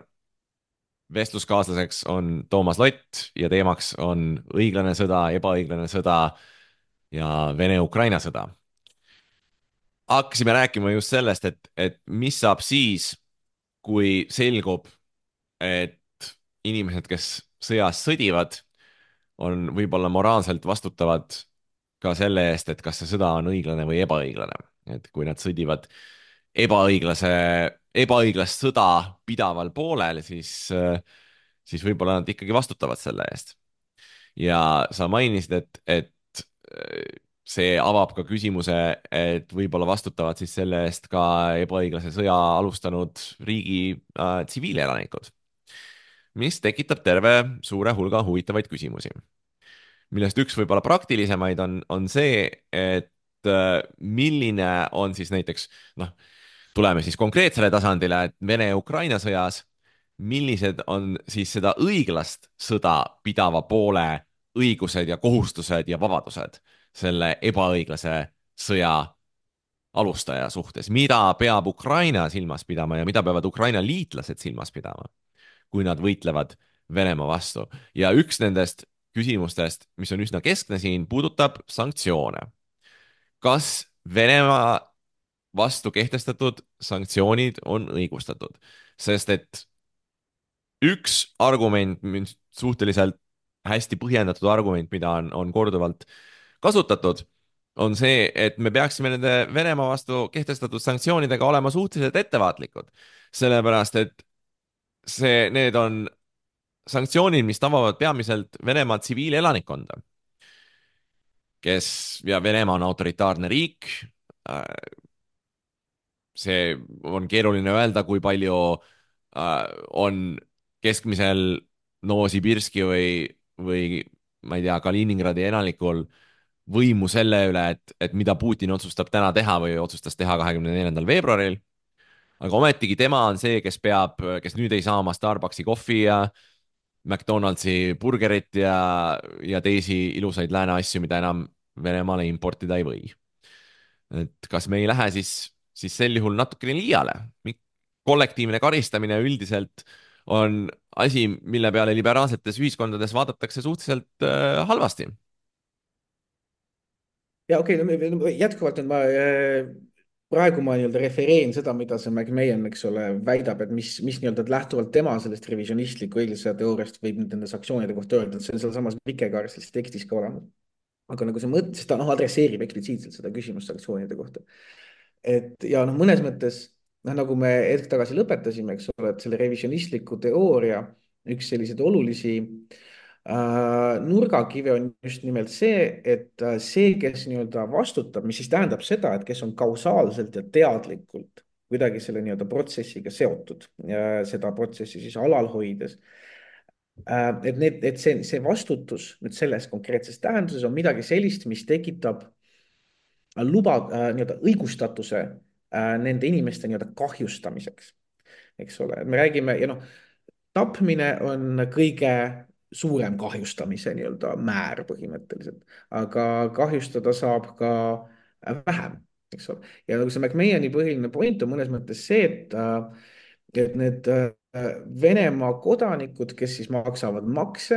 vestluskaaslaseks on Toomas Lott ja teemaks on õiglane sõda, ebaõiglane sõda ja Vene-Ukraina sõda. Hakkasime rääkima just sellest, et, et mis saab siis, kui selgub, et inimesed, kes sõjas sõdivad, on võib-olla moraalselt vastutavad ka selle eest, et kas see sõda on õiglane või ebaõiglane. Et kui nad sõdivad ebaõiglase, ebaõiglast sõda pidaval poolel, siis, siis võib-olla nad ikkagi vastutavad selle eest. Ja sa mainisid, et, et see avab ka küsimuse, et võib-olla vastutavad siis selle eest ka ebaõiglase sõja alustanud riigi äh, tsiviilelanikud, mis tekitab terve suure hulga huvitavaid küsimusi, millest üks võib-olla praktilisemaid on, on see, et äh, milline on siis näiteks, noh, tuleme siis konkreetsele tasandile, et Vene-Ukraina sõjas, millised on siis seda õiglast sõda pidava poole õigused ja kohustused ja vabadused selle ebaõiglase sõja alustaja suhtes, mida peab Ukraina silmas pidama ja mida peavad Ukraina liitlased silmas pidama, kui nad võitlevad Venemaa vastu. Ja üks nendest küsimustest, mis on üsna keskne siin, puudutab sanktsioone. Kas Venemaa vastu kehtestatud sanktsioonid on õigustatud? Sest et üks argument, suhteliselt hästi põhjendatud argument, mida on, on korduvalt kasutatud, on see, et me peaksime nende Venemaa vastu kehtestatud sanktsioonidega olema suhteliselt ettevaatlikud. Sellepärast, et see, need on sanktsioonid, mis tabavad peamiselt Venemaa tsiviilelanikkonda, kes, ja Venemaa on autoritaarne riik. See on keeruline öelda, kui palju on keskmisel Novosibirski või, või ma ei tea, Kaliningradi elanikul võimu selle üle, et, et mida Putin otsustab täna teha või otsustas teha kahekümne neljandal veebruaril. Aga ometigi tema on see, kes peab, kes nüüd ei saa oma Starbucksi kohvi ja McDonaldsi burgerit ja, ja teisi ilusaid lääne asju, mida enam Venemaale importida ei või. Et kas me ei lähe siis, siis sel juhul natukene liiale? Kollektiivne karistamine üldiselt on asi, mille peale liberaalsetes ühiskondades vaadatakse suhteliselt äh, halvasti. Ja okei, okay, no jätkuvalt nüüd ma äh, praegu ma nii-öelda refereen seda, mida see McMahon, eks ole, väidab, et mis, mis nii-öelda lähtuvalt tema sellest revisionistliku õiglase teooriast võib nende sanktsioonide kohta öelda, et see on sealsamas Vikekaares selles tekstis ka olemas. Aga nagu see mõte, siis ta noh, adresseerib eksplitsiitselt seda küsimust sanktsioonide kohta. Et ja noh, mõnes mõttes, noh, nagu me hetk tagasi lõpetasime, eks ole, et selle revisionistliku teooria üks selliseid olulisi äh, nurgakive on just nimelt see, et äh, see, kes nii-öelda vastutab, mis siis tähendab seda, et kes on kausaalselt ja teadlikult kuidagi selle nii-öelda protsessiga seotud ja seda protsessi siis alal hoides. Äh, et need, et see, see vastutus nüüd selles konkreetses tähenduses on midagi sellist, mis tekitab luba äh, nii-öelda õigustatuse äh, nende inimeste nii-öelda kahjustamiseks, eks ole, me räägime ja noh, tapmine on kõige suurem kahjustamise nii-öelda määr põhimõtteliselt, aga kahjustada saab ka vähem, eks ole. Ja nagu see McMahoni põhiline point on mõnes mõttes see, et, et need Venemaa kodanikud, kes siis maksavad makse,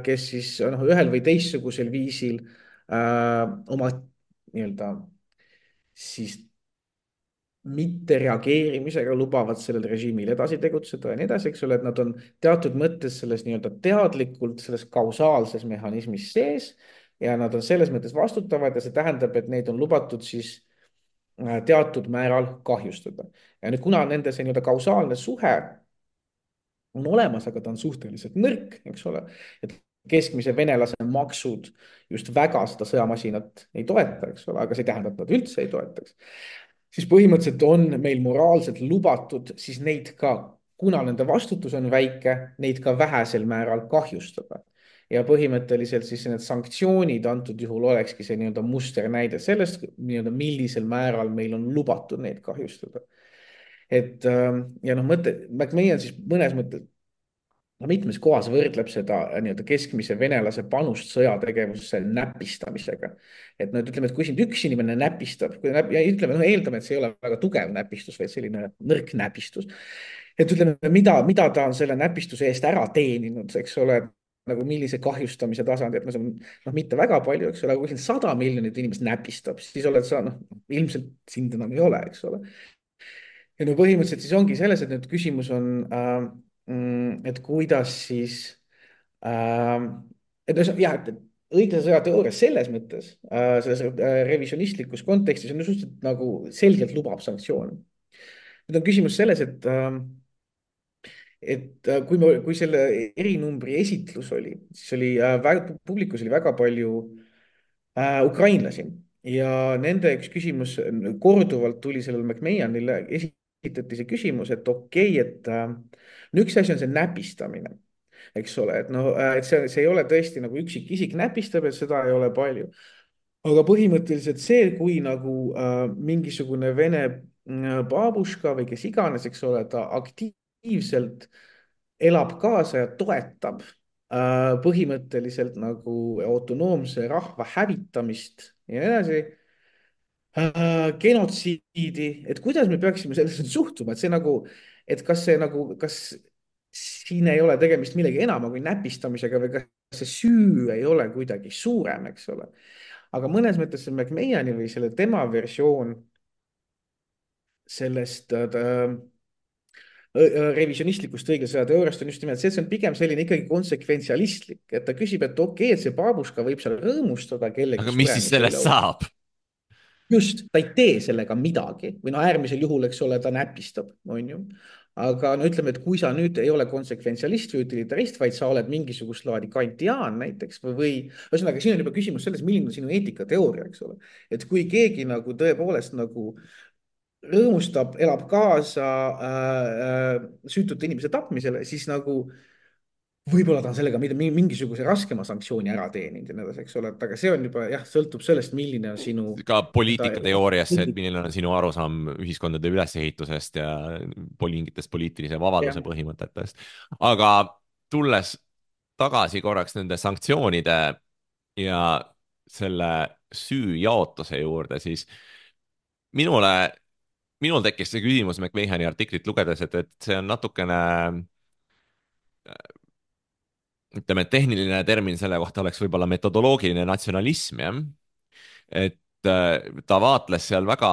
kes siis noh, ühel või teistsugusel viisil äh, oma nii-öelda siis mitte reageerimisega lubavad sellel režiimil edasi tegutseda ja nii edasi, eks ole, et nad on teatud mõttes selles nii-öelda teadlikult selles kausaalses mehhanismis sees ja nad on selles mõttes vastutavad ja see tähendab, et neid on lubatud siis teatud määral kahjustada. Ja nüüd, kuna nende see nii-öelda kausaalne suhe on olemas, aga ta on suhteliselt nõrk, eks ole, et keskmise venelase maksud just väga seda sõjamasinat ei toeta, eks ole, aga see ei tähenda, et nad üldse ei toetaks. Siis põhimõtteliselt on meil moraalselt lubatud siis neid ka, kuna nende vastutus on väike, neid ka vähesel määral kahjustada. Ja põhimõtteliselt siis need sanktsioonid antud juhul olekski see nii-öelda musternäide sellest, nii-öelda millisel määral meil on lubatud neid kahjustada. Et ja noh, mõte, McMahon siis mõnes mõttes no mitmes kohas võrdleb seda äh, nii-öelda keskmise venelase panust sõjategevusse näpistamisega. et no et ütleme, et kui sind üks inimene näpistab, kui näp, ja ütleme, noh, eeldame, et see ei ole väga tugev näpistus, vaid selline nõrk näpistus. et ütleme, mida, mida ta on selle näpistuse eest ära teeninud, eks ole, nagu millise kahjustamise tasandi, et no see on noh, mitte väga palju, eks ole, aga kui sind sada miljonit inimest näpistab, siis oled sa noh, ilmselt sind enam ei ole, eks ole. ja no põhimõtteliselt siis ongi selles, et nüüd küsimus on äh,, et kuidas siis äh,, et no jah, et õiglase sõja teooria selles mõttes äh,, selles äh, revisjonistlikus kontekstis on ju suhteliselt nagu selgelt lubab sanktsioone. nüüd on küsimus selles, et äh, et äh, kui me, kui selle erinumbri esitlus oli, siis oli äh, väga, publikus oli väga palju äh, ukrainlasi ja nende üks küsimus korduvalt tuli sellele McMahonile, esitati see küsimus, et okei okay,, et äh, no üks asi on see näpistamine, eks ole, et noh, et see, see ei ole tõesti nagu üksikisik näpistab, et seda ei ole palju. aga põhimõtteliselt see, kui nagu äh, mingisugune vene äh, baabuška või kes iganes, eks ole, ta aktiivselt elab kaasa ja toetab äh, põhimõtteliselt nagu autonoomse rahva hävitamist ja nii edasi äh,, genotsiidi, et kuidas me peaksime sellesse suhtuma, et see nagu, et kas see nagu, kas siin ei ole tegemist millegi enama kui näpistamisega või kas see süü ei ole kuidagi suurem, eks ole. aga mõnes mõttes see McMahoni või selle tema versioon sellest äh, revisjonistlikust õiglase sõja teooriast on just nimelt see, et see on pigem selline ikkagi konsekventsialistlik, et ta küsib, et okei okay,, et see baabuška võib seal rõõmustada kellegi aga mis siis sellest saab? just, ta ei tee sellega midagi või no äärmisel juhul, eks ole, ta näpistab, on ju. aga no ütleme, et kui sa nüüd ei ole konsekventsialist või utilitarist, vaid sa oled mingisugust laadi kantiaan näiteks või, või ühesõnaga, siin on juba küsimus selles, milline on sinu eetikateooria, eks ole. et kui keegi nagu tõepoolest nagu rõõmustab, elab kaasa äh, äh, süütute inimese tapmisele, siis nagu võib-olla ta on sellega mingisuguse raskema sanktsiooni ära teeninud ja nii edasi, eks ole, et aga see on juba jah, sõltub sellest, milline on sinu. ka poliitikateooriasse, et milline on sinu arusaam ühiskondade ülesehitusest ja mingitest poliitilise vabaduse ja põhimõtetest. aga tulles tagasi korraks nende sanktsioonide ja selle süü jaotuse juurde, siis minule minul tekkis see küsimus McMahoni artiklit lugedes, et, et see on natukene, ütleme, tehniline termin selle kohta oleks võib-olla metodoloogiline natsionalism, jah. et ta vaatles seal väga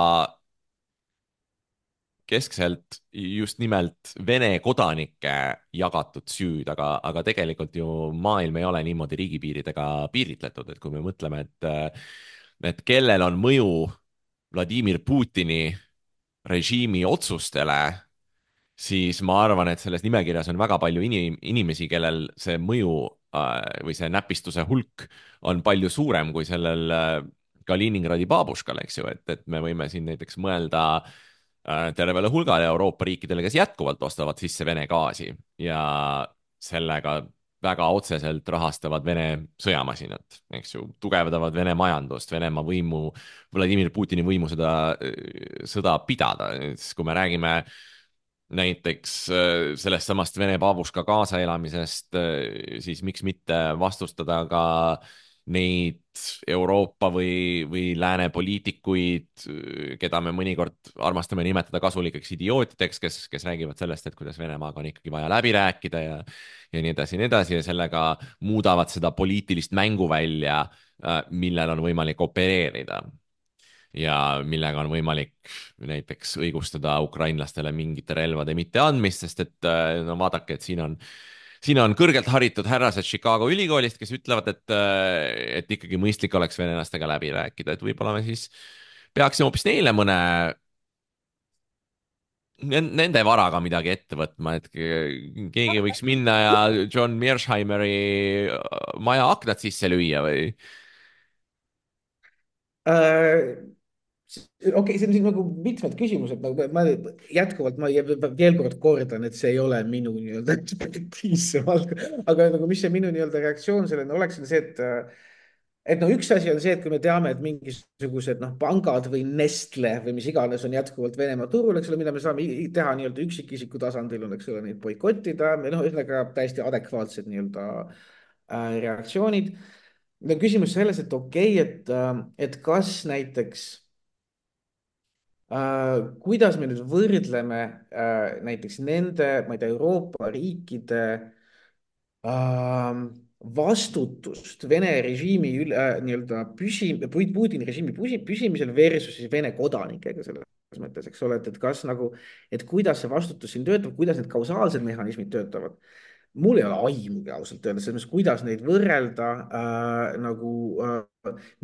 keskselt just nimelt Vene kodanike jagatud süüd, aga, aga tegelikult ju maailm ei ole niimoodi riigipiiridega piiritletud, et kui me mõtleme, et, et kellel on mõju Vladimir Putini režiimi otsustele, siis ma arvan, et selles nimekirjas on väga palju inim inimesi, kellel see mõju äh, või see näpistuse hulk on palju suurem kui sellel äh, Kaliningradi baabuškal, eks ju, et, et me võime siin näiteks mõelda äh, tervele hulgale Euroopa riikidele, kes jätkuvalt ostavad sisse Vene gaasi ja sellega väga otseselt rahastavad Vene sõjamasinat, eks ju, tugevdavad Vene majandust, Venemaa võimu, Vladimir Putini võimu seda sõda pidada. kui me räägime näiteks sellest samast Vene baabuška kaasaelamisest, siis miks mitte vastustada ka neid Euroopa või, või lääne poliitikuid, keda me mõnikord armastame nimetada kasulikeks idiootideks, kes, kes räägivad sellest, et kuidas Venemaaga on ikkagi vaja läbi rääkida ja, ja nii edasi ja nii edasi ja sellega muudavad seda poliitilist mänguvälja, millel on võimalik opereerida ja millega on võimalik näiteks õigustada ukrainlastele mingite relvade mitteandmist, sest et no vaadake, et siin on siin on kõrgelt haritud härrased Chicago ülikoolist, kes ütlevad, et, et ikkagi mõistlik oleks venelastega läbi rääkida, et võib-olla me siis peaksime hoopis neile mõne, nende varaga midagi ette võtma, et keegi võiks minna ja John Mearsheimeri maja aknad sisse lüüa või äh...? okei okay,, see on siin nagu mitmed küsimused, nagu ma jätkuvalt, ma veel kord kordan, et see ei ole minu nii-öelda ekspertiis, aga nagu mis see minu nii-öelda reaktsioon sellele oleks, on see, et et no üks asi on see, et kui me teame, et mingisugused noh, pangad või Nestle või mis iganes on jätkuvalt Venemaa turul, eks ole, mida me saame teha nii-öelda üksikisiku tasandil, on, eks ole, neid boikottida, noh, ühesõnaga täiesti adekvaatsed nii-öelda äh, reaktsioonid. nüüd on küsimus selles, et okei okay,, et, äh, et kas näiteks äh, kuidas me nüüd võrdleme äh, näiteks nende, ma ei tea, Euroopa riikide ähm, vastutust Vene režiimi üle, äh, nii-öelda püsi-, Putini režiimi püsi, püsimisel versus siis Vene kodanikega selles mõttes, eks ole, et, et kas nagu, et kuidas see vastutus siin töötab, kuidas need kausaalsed mehhanismid töötavad. mul ei ole aimugi ausalt öeldes, selles mõttes, kuidas neid võrrelda äh, nagu äh,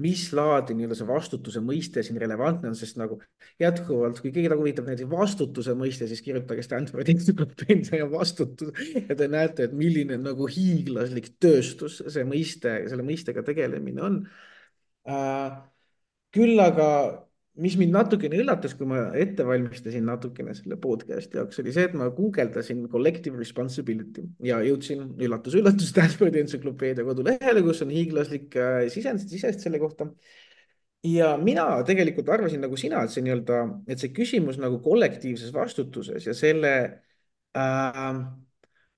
mis laadi nii-öelda see vastutuse mõiste siin relevantne on, sest nagu jätkuvalt, kui keegi nagu huvitab näiteks vastutuse mõiste, siis kirjutage Stanfordi entsüklopeedia ja vastutus ja te näete, et milline nagu hiiglaslik tööstus see mõiste, selle mõistega tegelemine on äh,. küll aga, mis mind natukene üllatas, kui ma ette valmistasin natukene selle podcast'i jaoks, oli see, et ma guugeldasin collective responsibility ja jõudsin üllatus-üllatus Stanfordi entsüklopeedia kodulehele, kus on hiiglaslik äh, sisend, sisest selle kohta. ja mina tegelikult arvasin nagu sina, et see nii-öelda, et see küsimus nagu kollektiivses vastutuses ja selle äh,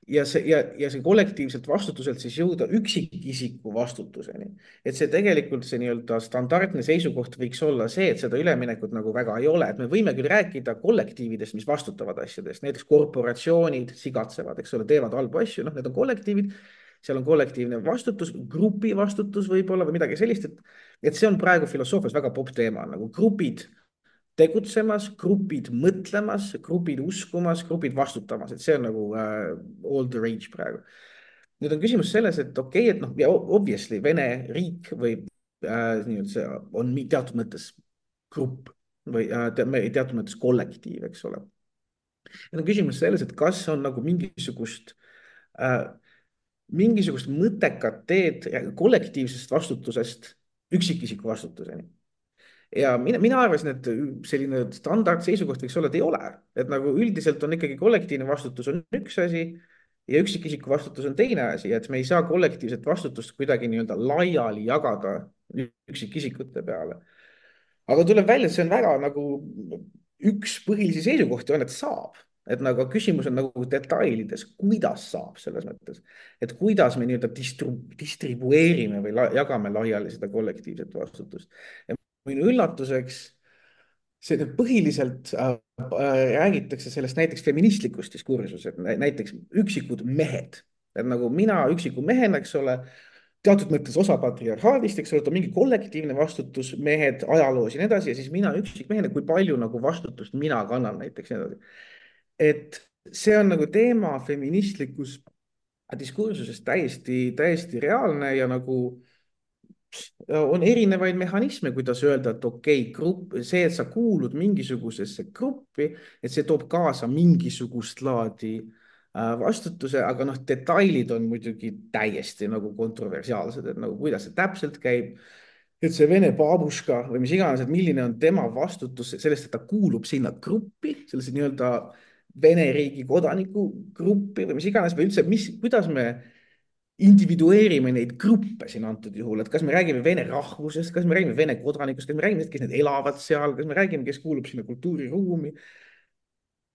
ja see ja, ja see kollektiivselt vastutuselt siis jõuda üksikisiku vastutuseni. et see tegelikult see nii-öelda standardne seisukoht võiks olla see, et seda üleminekut nagu väga ei ole, et me võime küll rääkida kollektiividest, mis vastutavad asjadest, näiteks korporatsioonid sigatsevad, eks ole, teevad halbu asju, noh, need on kollektiivid, seal on kollektiivne vastutus, grupi vastutus võib-olla või midagi sellist, et, et see on praegu filosoofias väga popp teema, nagu grupid tegutsemas, grupid mõtlemas, grupid uskumas, grupid vastutamas, et see on nagu uh, all the rage praegu. nüüd on küsimus selles, et okei okay,, et noh, ja obviously Vene riik või äh, nii-öelda see on teatud mõttes grupp või äh, teatud mõttes kollektiiv, eks ole. nüüd on küsimus selles, et kas on nagu mingisugust äh, mingisugust mõttekat teed kollektiivsest vastutusest üksikisiku vastutuseni. ja mina, mina arvasin, et selline standard seisukoht võiks olla, et ei ole, et nagu üldiselt on ikkagi kollektiivne vastutus on üks asi ja üksikisiku vastutus on teine asi, et me ei saa kollektiivset vastutust kuidagi nii-öelda laiali jagada üksikisikute peale. aga tuleb välja, et see on väga nagu üks põhilisi seisukohti on, et saab, et nagu küsimus on nagu detailides, kuidas saab selles mõttes, et kuidas me nii-öelda distru, distribueerime või la, jagame laiali seda kollektiivset vastutust. ja minu üllatuseks see põhiliselt äh, äh, räägitakse sellest näiteks feministlikust diskursusest, näiteks üksikud mehed, et nagu mina üksiku mehena, eks ole, teatud mõttes osa patriarhaadist, eks ole, et on mingi kollektiivne vastutus, mehed ajaloos ja nii edasi, ja siis mina üksikmehena, kui palju nagu vastutust mina kannan näiteks nii edasi. et see on nagu teema feministlikus diskursuses täiesti, täiesti reaalne ja nagu on erinevaid mehhanisme, kuidas öelda, et okei okay,, grupp, see, et sa kuulud mingisugusesse gruppi, et see toob kaasa mingisugust laadi vastutuse, aga noh, detailid on muidugi täiesti nagu kontroversiaalsed, et nagu kuidas see täpselt käib. et see Vene baabuška või mis iganes, et milline on tema vastutus sellest, et ta kuulub sinna gruppi, sellesse nii-öelda Vene riigi kodaniku gruppi või mis iganes või üldse, mis, kuidas me individueerime neid gruppe siin antud juhul, et kas me räägime vene rahvusest, kas me räägime vene kodanikust, kas me räägime, kes need elavad seal, kas me räägime, kes kuulub sinna kultuuriruumi.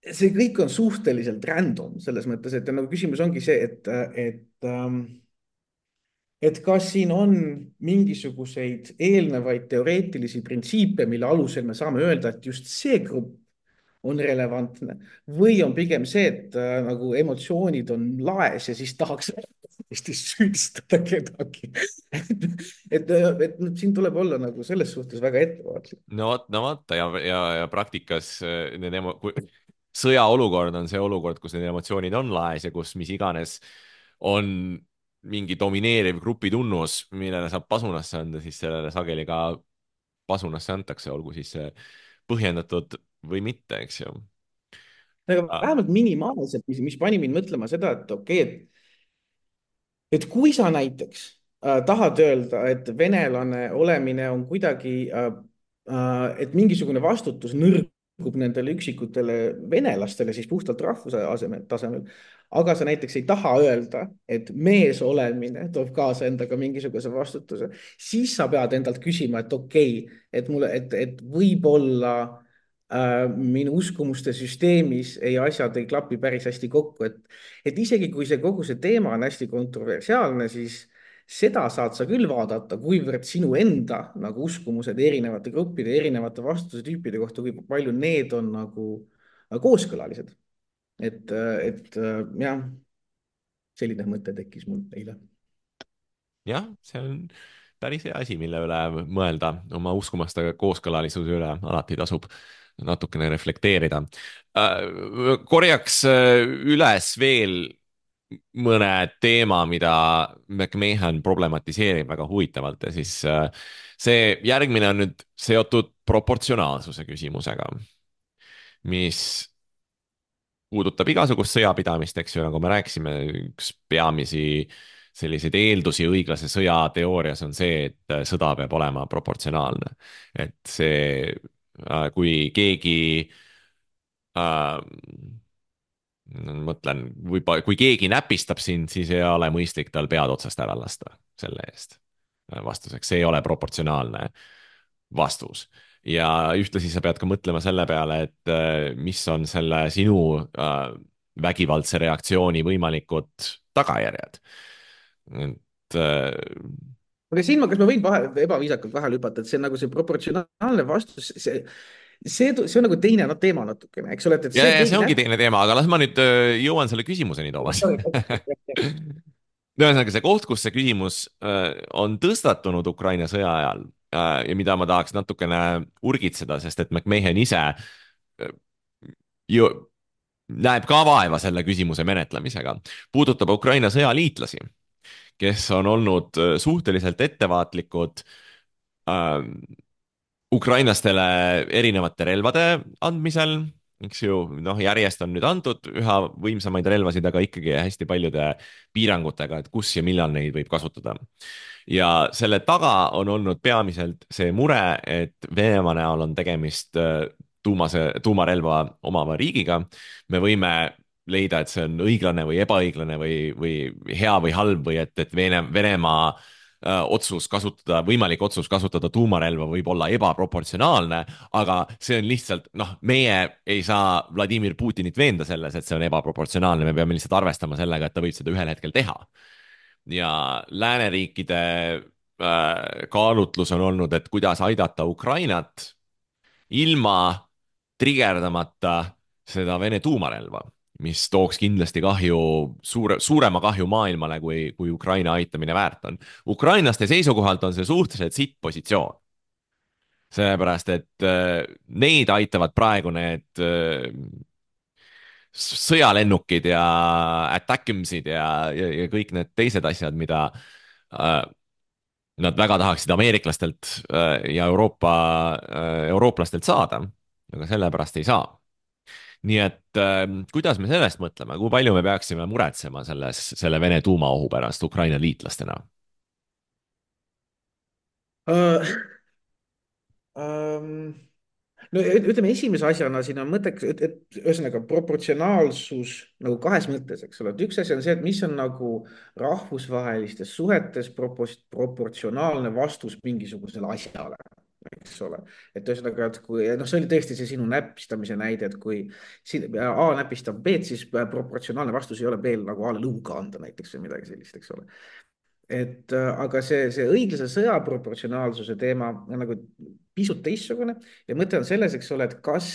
see kõik on suhteliselt random selles mõttes, et nagu küsimus ongi see, et, et, et kas siin on mingisuguseid eelnevaid teoreetilisi printsiipe, mille alusel me saame öelda, et just see grupp on relevantne või on pigem see, et äh, nagu emotsioonid on laes ja siis tahaks hästi süüdistada kedagi. et, et, et siin tuleb olla nagu selles suhtes väga ettevaatlik. no vot, no vaata ja, ja, ja praktikas need emo-, kui sõjaolukord on see olukord, kus need emotsioonid on laes ja kus mis iganes on mingi domineeriv grupi tunnus, millele saab pasunasse anda, siis sellele sageli ka pasunasse antakse, olgu siis see põhjendatud või mitte, eks ju. aga vähemalt minimaalselt, mis, mis pani mind mõtlema seda, et okei okay,, et et kui sa näiteks äh, tahad öelda, et venelane olemine on kuidagi äh, äh, et mingisugune vastutus nõrgub nendele üksikutele venelastele siis puhtalt rahvuse asemel, tasemel, aga sa näiteks ei taha öelda, et mees olemine toob kaasa endaga mingisuguse vastutuse, siis sa pead endalt küsima, et okei okay,, et mulle, et, et võib-olla äh, minu uskumuste süsteemis ei, asjad ei klapi päris hästi kokku, et, et isegi kui see kogu see teema on hästi kontroversiaalne, siis seda saad sa küll vaadata, kuivõrd sinu enda nagu uskumused erinevate gruppide, erinevate vastusetüüpide kohta, kui palju need on nagu kooskõlalised. et, et jah, selline mõte tekkis mul eile. jah, see on päris hea asi, mille üle mõelda, oma uskumuste kooskõlalisuse üle alati tasub natukene reflekteerida. korjaks üles veel mõne teema, mida McMahon problematiseerib väga huvitavalt ja siis see järgmine on nüüd seotud proportsionaalsuse küsimusega, mis puudutab igasugust sõjapidamist, eks ju, nagu me rääkisime, üks peamisi selliseid eeldusi õiglase sõja teoorias on see, et sõda peab olema proportsionaalne. et see, kui keegi äh, mõtlen, või kui keegi näpistab sind, siis ei ole mõistlik tal pead otsast ära lasta selle eest vastuseks, see ei ole proportsionaalne vastus. ja ühtlasi sa pead ka mõtlema selle peale, et mis on selle sinu äh, vägivaldse reaktsiooni võimalikud tagajärjed. et äh, aga siin ma, kas ma võin vahe, ebaviisakalt vahele hüpata, et see on nagu see proportsionaalne vastus, see see, see on nagu teine no, teema natukene, eks ole. ja, see, ja see ongi teine teema, aga las ma nüüd äh, jõuan selle küsimuseni, Toomas. ühesõnaga see koht, kus see küsimus äh, on tõstatunud Ukraina sõja ajal äh, ja mida ma tahaks natukene urgitseda, sest et McMahon ise äh, ju näeb ka vaeva selle küsimuse menetlemisega, puudutab Ukraina sõjaliitlasi, kes on olnud suhteliselt ettevaatlikud äh, ukrainlastele erinevate relvade andmisel, eks ju, noh, järjest on nüüd antud üha võimsamaid relvasid, aga ikkagi hästi paljude piirangutega, et kus ja millal neid võib kasutada. ja selle taga on olnud peamiselt see mure, et Venemaa näol on tegemist tuumase, tuumarelva omava riigiga. me võime leida, et see on õiglane või ebaõiglane või, või hea või halb või et, et Vene, Venemaa otsus kasutada, võimalik otsus kasutada tuumarelva võib olla ebaproportsionaalne, aga see on lihtsalt, noh, meie ei saa Vladimir Putinit veenda selles, et see on ebaproportsionaalne, me peame lihtsalt arvestama sellega, et ta võib seda ühel hetkel teha. ja lääneriikide äh, kaalutlus on olnud, et kuidas aidata Ukrainat ilma trigerdamata seda Vene tuumarelva, mis tooks kindlasti kahju, suure, suurema kahju maailmale, kui, kui Ukraina aitamine väärt on. Ukrainlaste seisukohalt on see suhteliselt sitt positsioon. Sellepärast, et äh, neid aitavad praegu need äh, sõjalennukid ja attackimsid ja, ja, ja kõik need teised asjad, mida äh, nad väga tahaksid ameeriklastelt äh, ja Euroopa, äh, eurooplastelt saada, aga sellepärast ei saa. nii et äh, kuidas me sellest mõtleme, kui palju me peaksime muretsema selles, selle Vene tuumaohu pärast Ukraina liitlastena uh,? Um, no ütleme, esimese asjana siin on mõtteks, et, et ühesõnaga proportsionaalsus nagu kahes mõttes, eks ole, et üks asi on see, et mis on nagu rahvusvahelistes suhetes propos, proportsionaalne vastus mingisugusele asjale, eks ole. et ühesõnaga, et kui, noh, see oli tõesti see sinu näpistamise näide, et kui A näpistab B-d, siis proportsionaalne vastus ei ole B-l nagu A-le lõuga anda näiteks või midagi sellist, eks ole. et aga see, see õiglase sõja proportsionaalsuse teema on nagu pisut teistsugune ja mõte on selles, eks ole, et kas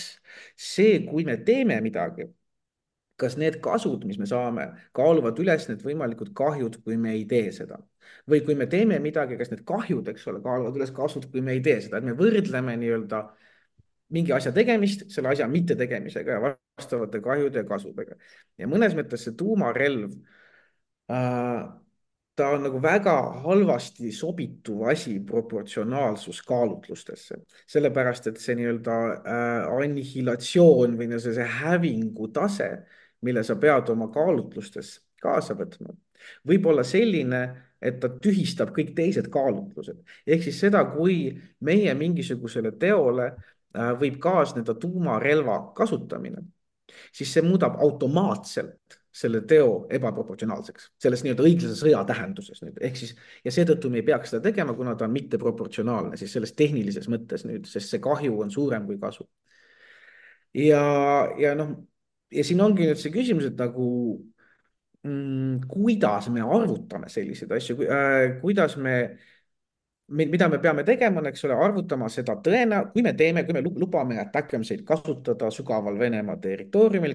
see, kui me teeme midagi, kas need kasud, mis me saame, kaaluvad üles need võimalikud kahjud, kui me ei tee seda. või kui me teeme midagi, kas need kahjud, eks ole, kaaluvad üles kasud, kui me ei tee seda, et me võrdleme nii-öelda mingi asja tegemist selle asja mittetegemisega ja vastavate kahjude ja kasudega. ja mõnes mõttes see tuumarelv äh, ta on nagu väga halvasti sobituv asi proportsionaalsuskaalutlustesse, sellepärast et see nii-öelda äh, annihilatsioon või see, see hävingu tase, mille sa pead oma kaalutlustes kaasa võtma, võib olla selline, et ta tühistab kõik teised kaalutlused. ehk siis seda, kui meie mingisugusele teole äh, võib kaasneda tuumarelva kasutamine, siis see muudab automaatselt selle teo ebaproportsionaalseks, selles nii-öelda õiglase sõja tähenduses nüüd, ehk siis ja seetõttu me ei peaks seda tegema, kuna ta on mitteproportsionaalne siis selles tehnilises mõttes nüüd, sest see kahju on suurem kui kasu. ja, ja noh, ja siin ongi nüüd see küsimus, et nagu mm, kuidas me arvutame selliseid asju äh,, kuidas me mida me peame tegema, on, eks ole, arvutama seda tõena, kui me teeme, kui me lubame ATACMS-eid kasutada sügaval Venemaa territooriumil,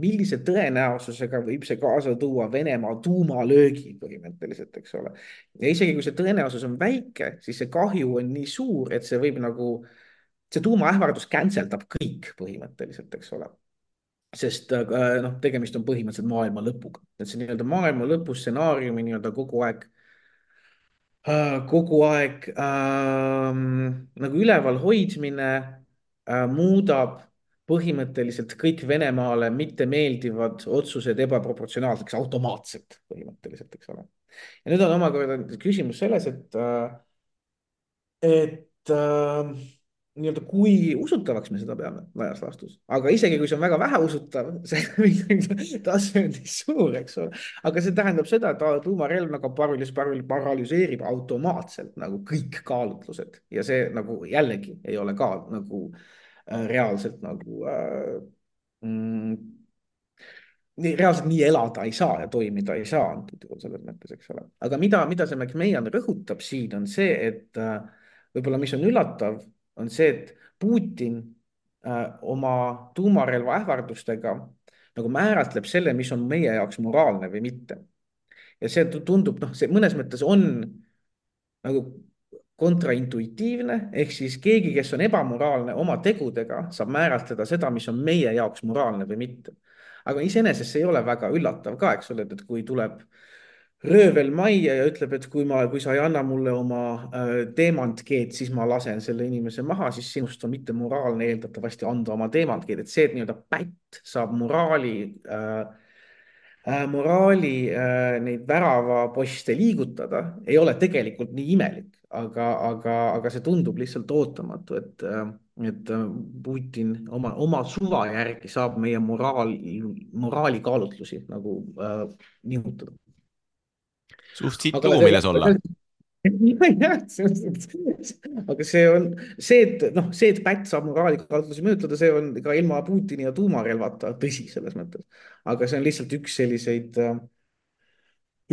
millise tõenäosusega võib see kaasa tuua Venemaa tuumalöögi põhimõtteliselt, eks ole. Ja isegi kui see tõenäosus on väike, siis see kahju on nii suur, et see võib nagu, see tuumaähvardus cancel dab kõik põhimõtteliselt, eks ole. Sest noh, tegemist on põhimõtteliselt maailma lõpuga, et see nii-öelda maailma lõpu stsenaariumi nii-öelda kogu aeg kogu aeg ähm, nagu üleval hoidmine äh, muudab põhimõtteliselt kõik Venemaale mittemeeldivad otsused ebaproportsionaalseks automaatselt põhimõtteliselt, eks ole. Ja nüüd on omakorda küsimus selles, et äh, et äh, nii-öelda kui usutavaks me seda peame laias laastus, aga isegi kui see on väga vähe usutav, see tase on nii suur, eks ole, aga see tähendab seda, et tuumarelv nagu paralüs, paralüseerib automaatselt nagu kõik kaalutlused ja see nagu jällegi ei ole ka nagu äh, reaalselt nagu äh, mm, nii, reaalselt nii elada ei saa ja toimida ei saa antud juhul selles mõttes, eks ole. aga mida, mida see McMahon rõhutab siin on see, et äh, võib-olla mis on üllatav, on see, et Putin äh, oma tuumarelva ähvardustega nagu määratleb selle, mis on meie jaoks moraalne või mitte. Ja see tundub, noh, see mõnes mõttes on nagu kontraintuitiivne, ehk siis keegi, kes on ebamoraalne oma tegudega, saab määratleda seda, mis on meie jaoks moraalne või mitte. Aga iseenesest see ei ole väga üllatav ka, eks ole, et kui tuleb röövel majja ja ütleb, et kui ma, kui sa ei anna mulle oma äh, teemantkeed, siis ma lasen selle inimese maha, siis sinust on mitte moraalne eeldatavasti anda oma teemantkeed, et see, et nii-öelda pätt saab moraali äh, äh, moraali äh, neid väravaposte liigutada, ei ole tegelikult nii imelik, aga, aga, aga see tundub lihtsalt ootamatu, et äh, et Putin oma, oma suva järgi saab meie moraal, moraalikaalutlusi nagu äh, nihutada. Suht siit lugu, milles olla. aga see on see, et noh, see, et pätt saab moraalikaalutlusi mõjutada, see on ka ilma Putini ja tuumarelvata tõsi selles mõttes. aga see on lihtsalt üks selliseid,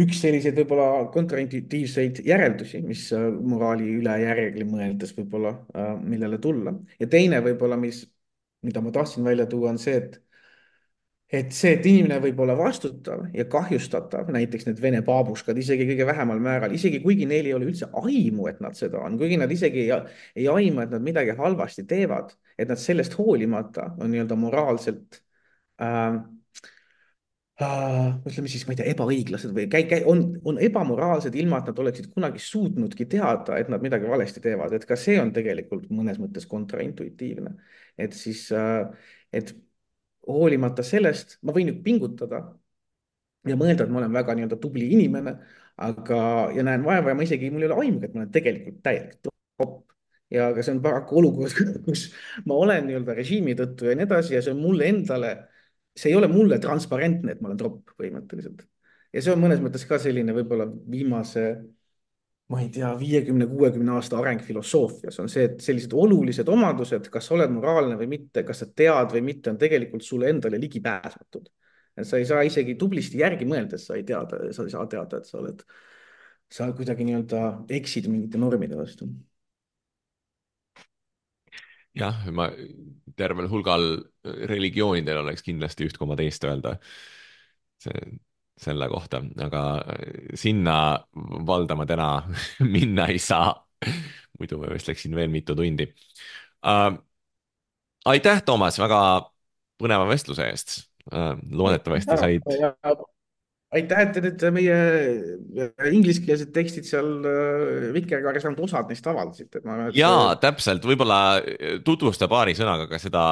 üks selliseid võib-olla kontraintuitiivseid järeldusi, mis moraali üle järgi mõeldes võib-olla, millele tulla. ja teine võib-olla, mis, mida ma tahtsin välja tuua, on see, et et see, et inimene võib olla vastutav ja kahjustatav, näiteks need Vene baabuskad isegi kõige vähemal määral, isegi kuigi neil ei ole üldse aimu, et nad seda on, kuigi nad isegi ei, ei aimu, et nad midagi halvasti teevad, et nad sellest hoolimata on nii-öelda moraalselt äh, äh, ütleme siis, ma ei tea, ebaõiglased või käi, käi, on, on ebamoraalsed, ilma et nad oleksid kunagi suutnudki teada, et nad midagi valesti teevad, et ka see on tegelikult mõnes mõttes kontraintuitiivne, et siis äh, et hoolimata sellest, ma võin ju pingutada ja mõelda, et ma olen väga nii-öelda tubli inimene, aga, ja näen vaeva ja ma isegi, mul ei ole aimugi, et ma olen tegelikult täielik top. Ja aga see on paraku olukord, kus ma olen nii-öelda režiimi tõttu ja nii edasi ja see on mulle endale, see ei ole mulle transparentne, et ma olen tropp põhimõtteliselt. Ja see on mõnes mõttes ka selline võib-olla viimase ma ei tea, viiekümne, kuuekümne aasta areng filosoofias on see, et sellised olulised omadused, kas sa oled moraalne või mitte, kas sa tead või mitte, on tegelikult sulle endale ligipääsmatud. Sa ei saa isegi tublisti järgi mõeldes, sa ei teada, sa ei saa teada, et sa oled, sa kuidagi nii-öelda eksid mingite normide vastu. jah, ma tervel hulgal religioonidel oleks kindlasti üht koma teist öelda see, selle kohta, aga sinna valdama täna minna ei saa. muidu ma vist läksin veel mitu tundi uh,. aitäh, Toomas, väga põneva vestluse eest uh,. loodetavasti said. aitäh, et te nüüd meie ingliskeelsed tekstid seal Vikerkaares ainult osad neist avaldasite. Et... jaa, täpselt, võib-olla tutvusta paari sõnaga ka seda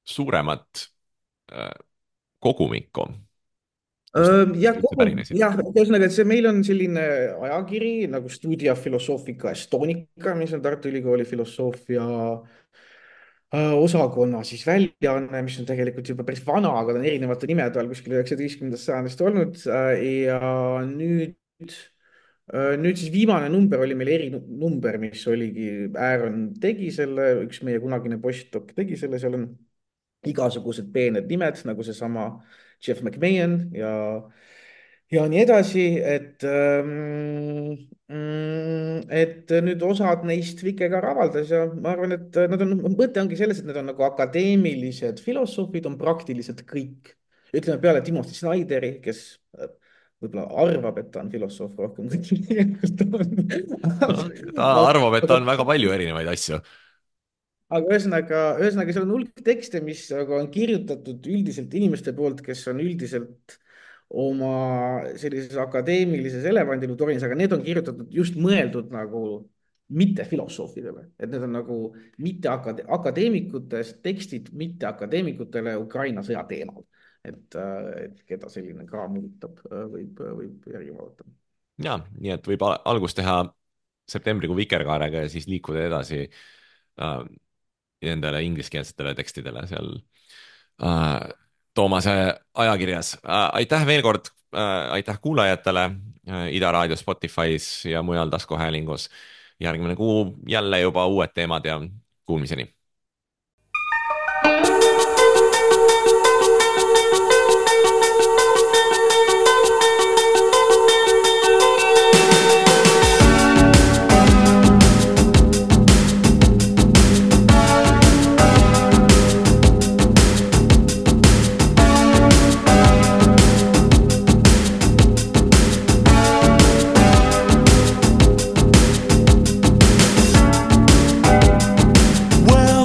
suuremat uh, kogumikku. jah, jah, ühesõnaga, et see meil on selline ajakiri nagu Studia Philosophica Estonica, mis on Tartu Ülikooli filosoofia osakonna siis väljaanne, mis on tegelikult juba päris vana, aga ta on erinevate nimede all kuskil üheksateistkümnendast sajandist olnud. ja nüüd, nüüd siis viimane number oli meil erinumber, mis oligi, Aaron tegi selle, üks meie kunagine postdoc tegi selle, seal on igasugused peened nimed nagu seesama Jeff McMahon ja ja nii edasi, et, et nüüd osad neist Vikerkaar avaldas ja ma arvan, et nad on, mõte ongi selles, et need on nagu akadeemilised filosoofid, on praktiliselt kõik. Ütleme peale Timothy Snyderi, kes võib-olla arvab, et ta on filosoof rohkem kui tegelikult on. Ta arvab, et ta on väga palju erinevaid asju. Aga ühesõnaga, ühesõnaga seal on hulk tekste, mis on kirjutatud üldiselt inimeste poolt, kes on üldiselt oma sellises akadeemilises elevandiluutorinis, aga need on kirjutatud just mõeldud nagu mitte filosoofidele, et need on nagu mitte akade akadeemikutest tekstid mitte akadeemikutele Ukraina sõja teemal, et, et keda selline kraam huvitab, võib, võib järgi vaadata. Ja, nii et võib algust teha septembrikuu Vikerkaarega ja siis liikuda edasi äh, nendele ingliskeelsetele tekstidele seal äh, Toomase ajakirjas. Aitäh veel kord, aitäh kuulajatele Ida Raadio Spotify's ja mujal taskuhäälingus. Järgmine kuu jälle juba uued teemad ja kuulmiseni. Well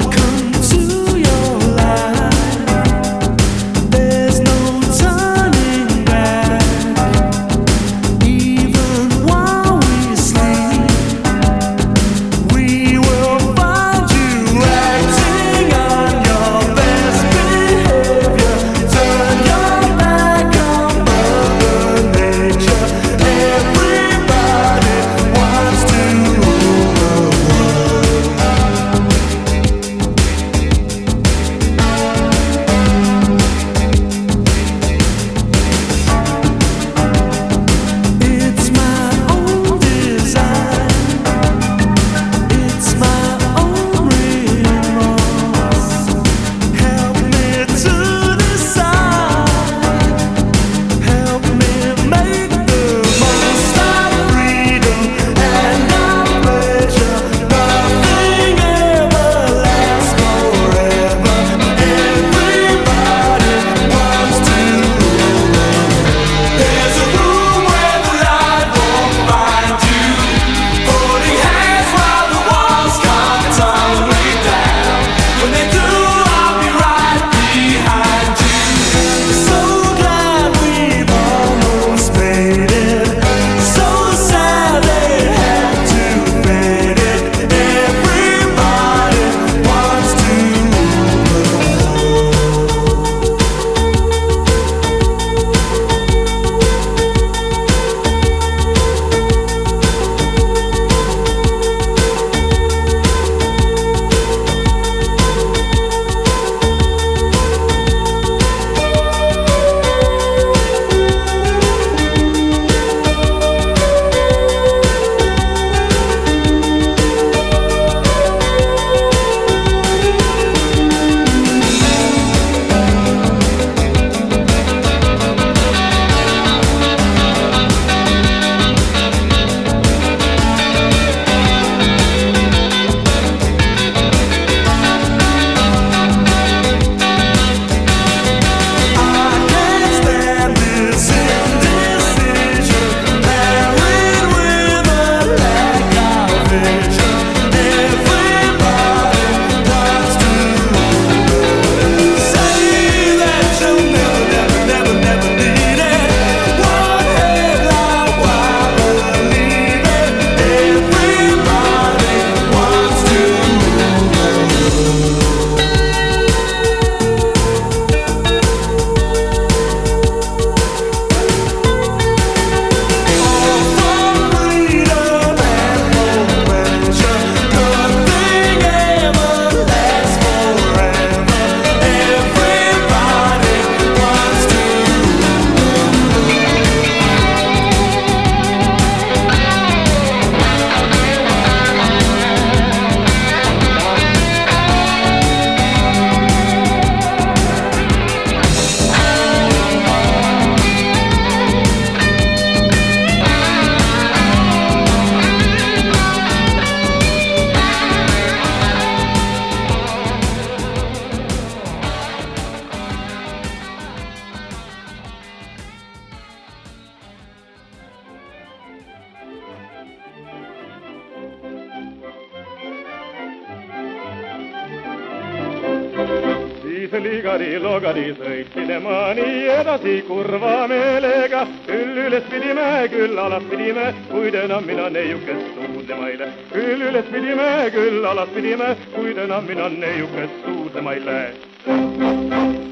siis ligadi logadi sõitsin ma nii edasi kurva meelega. Küll üles pidime, küll alas pidime, kuid enam mina neiukest suudlema ei lähe. Küll üles pidime, küll alas pidime, kuid enam mina neiukest suudlema ei lähe.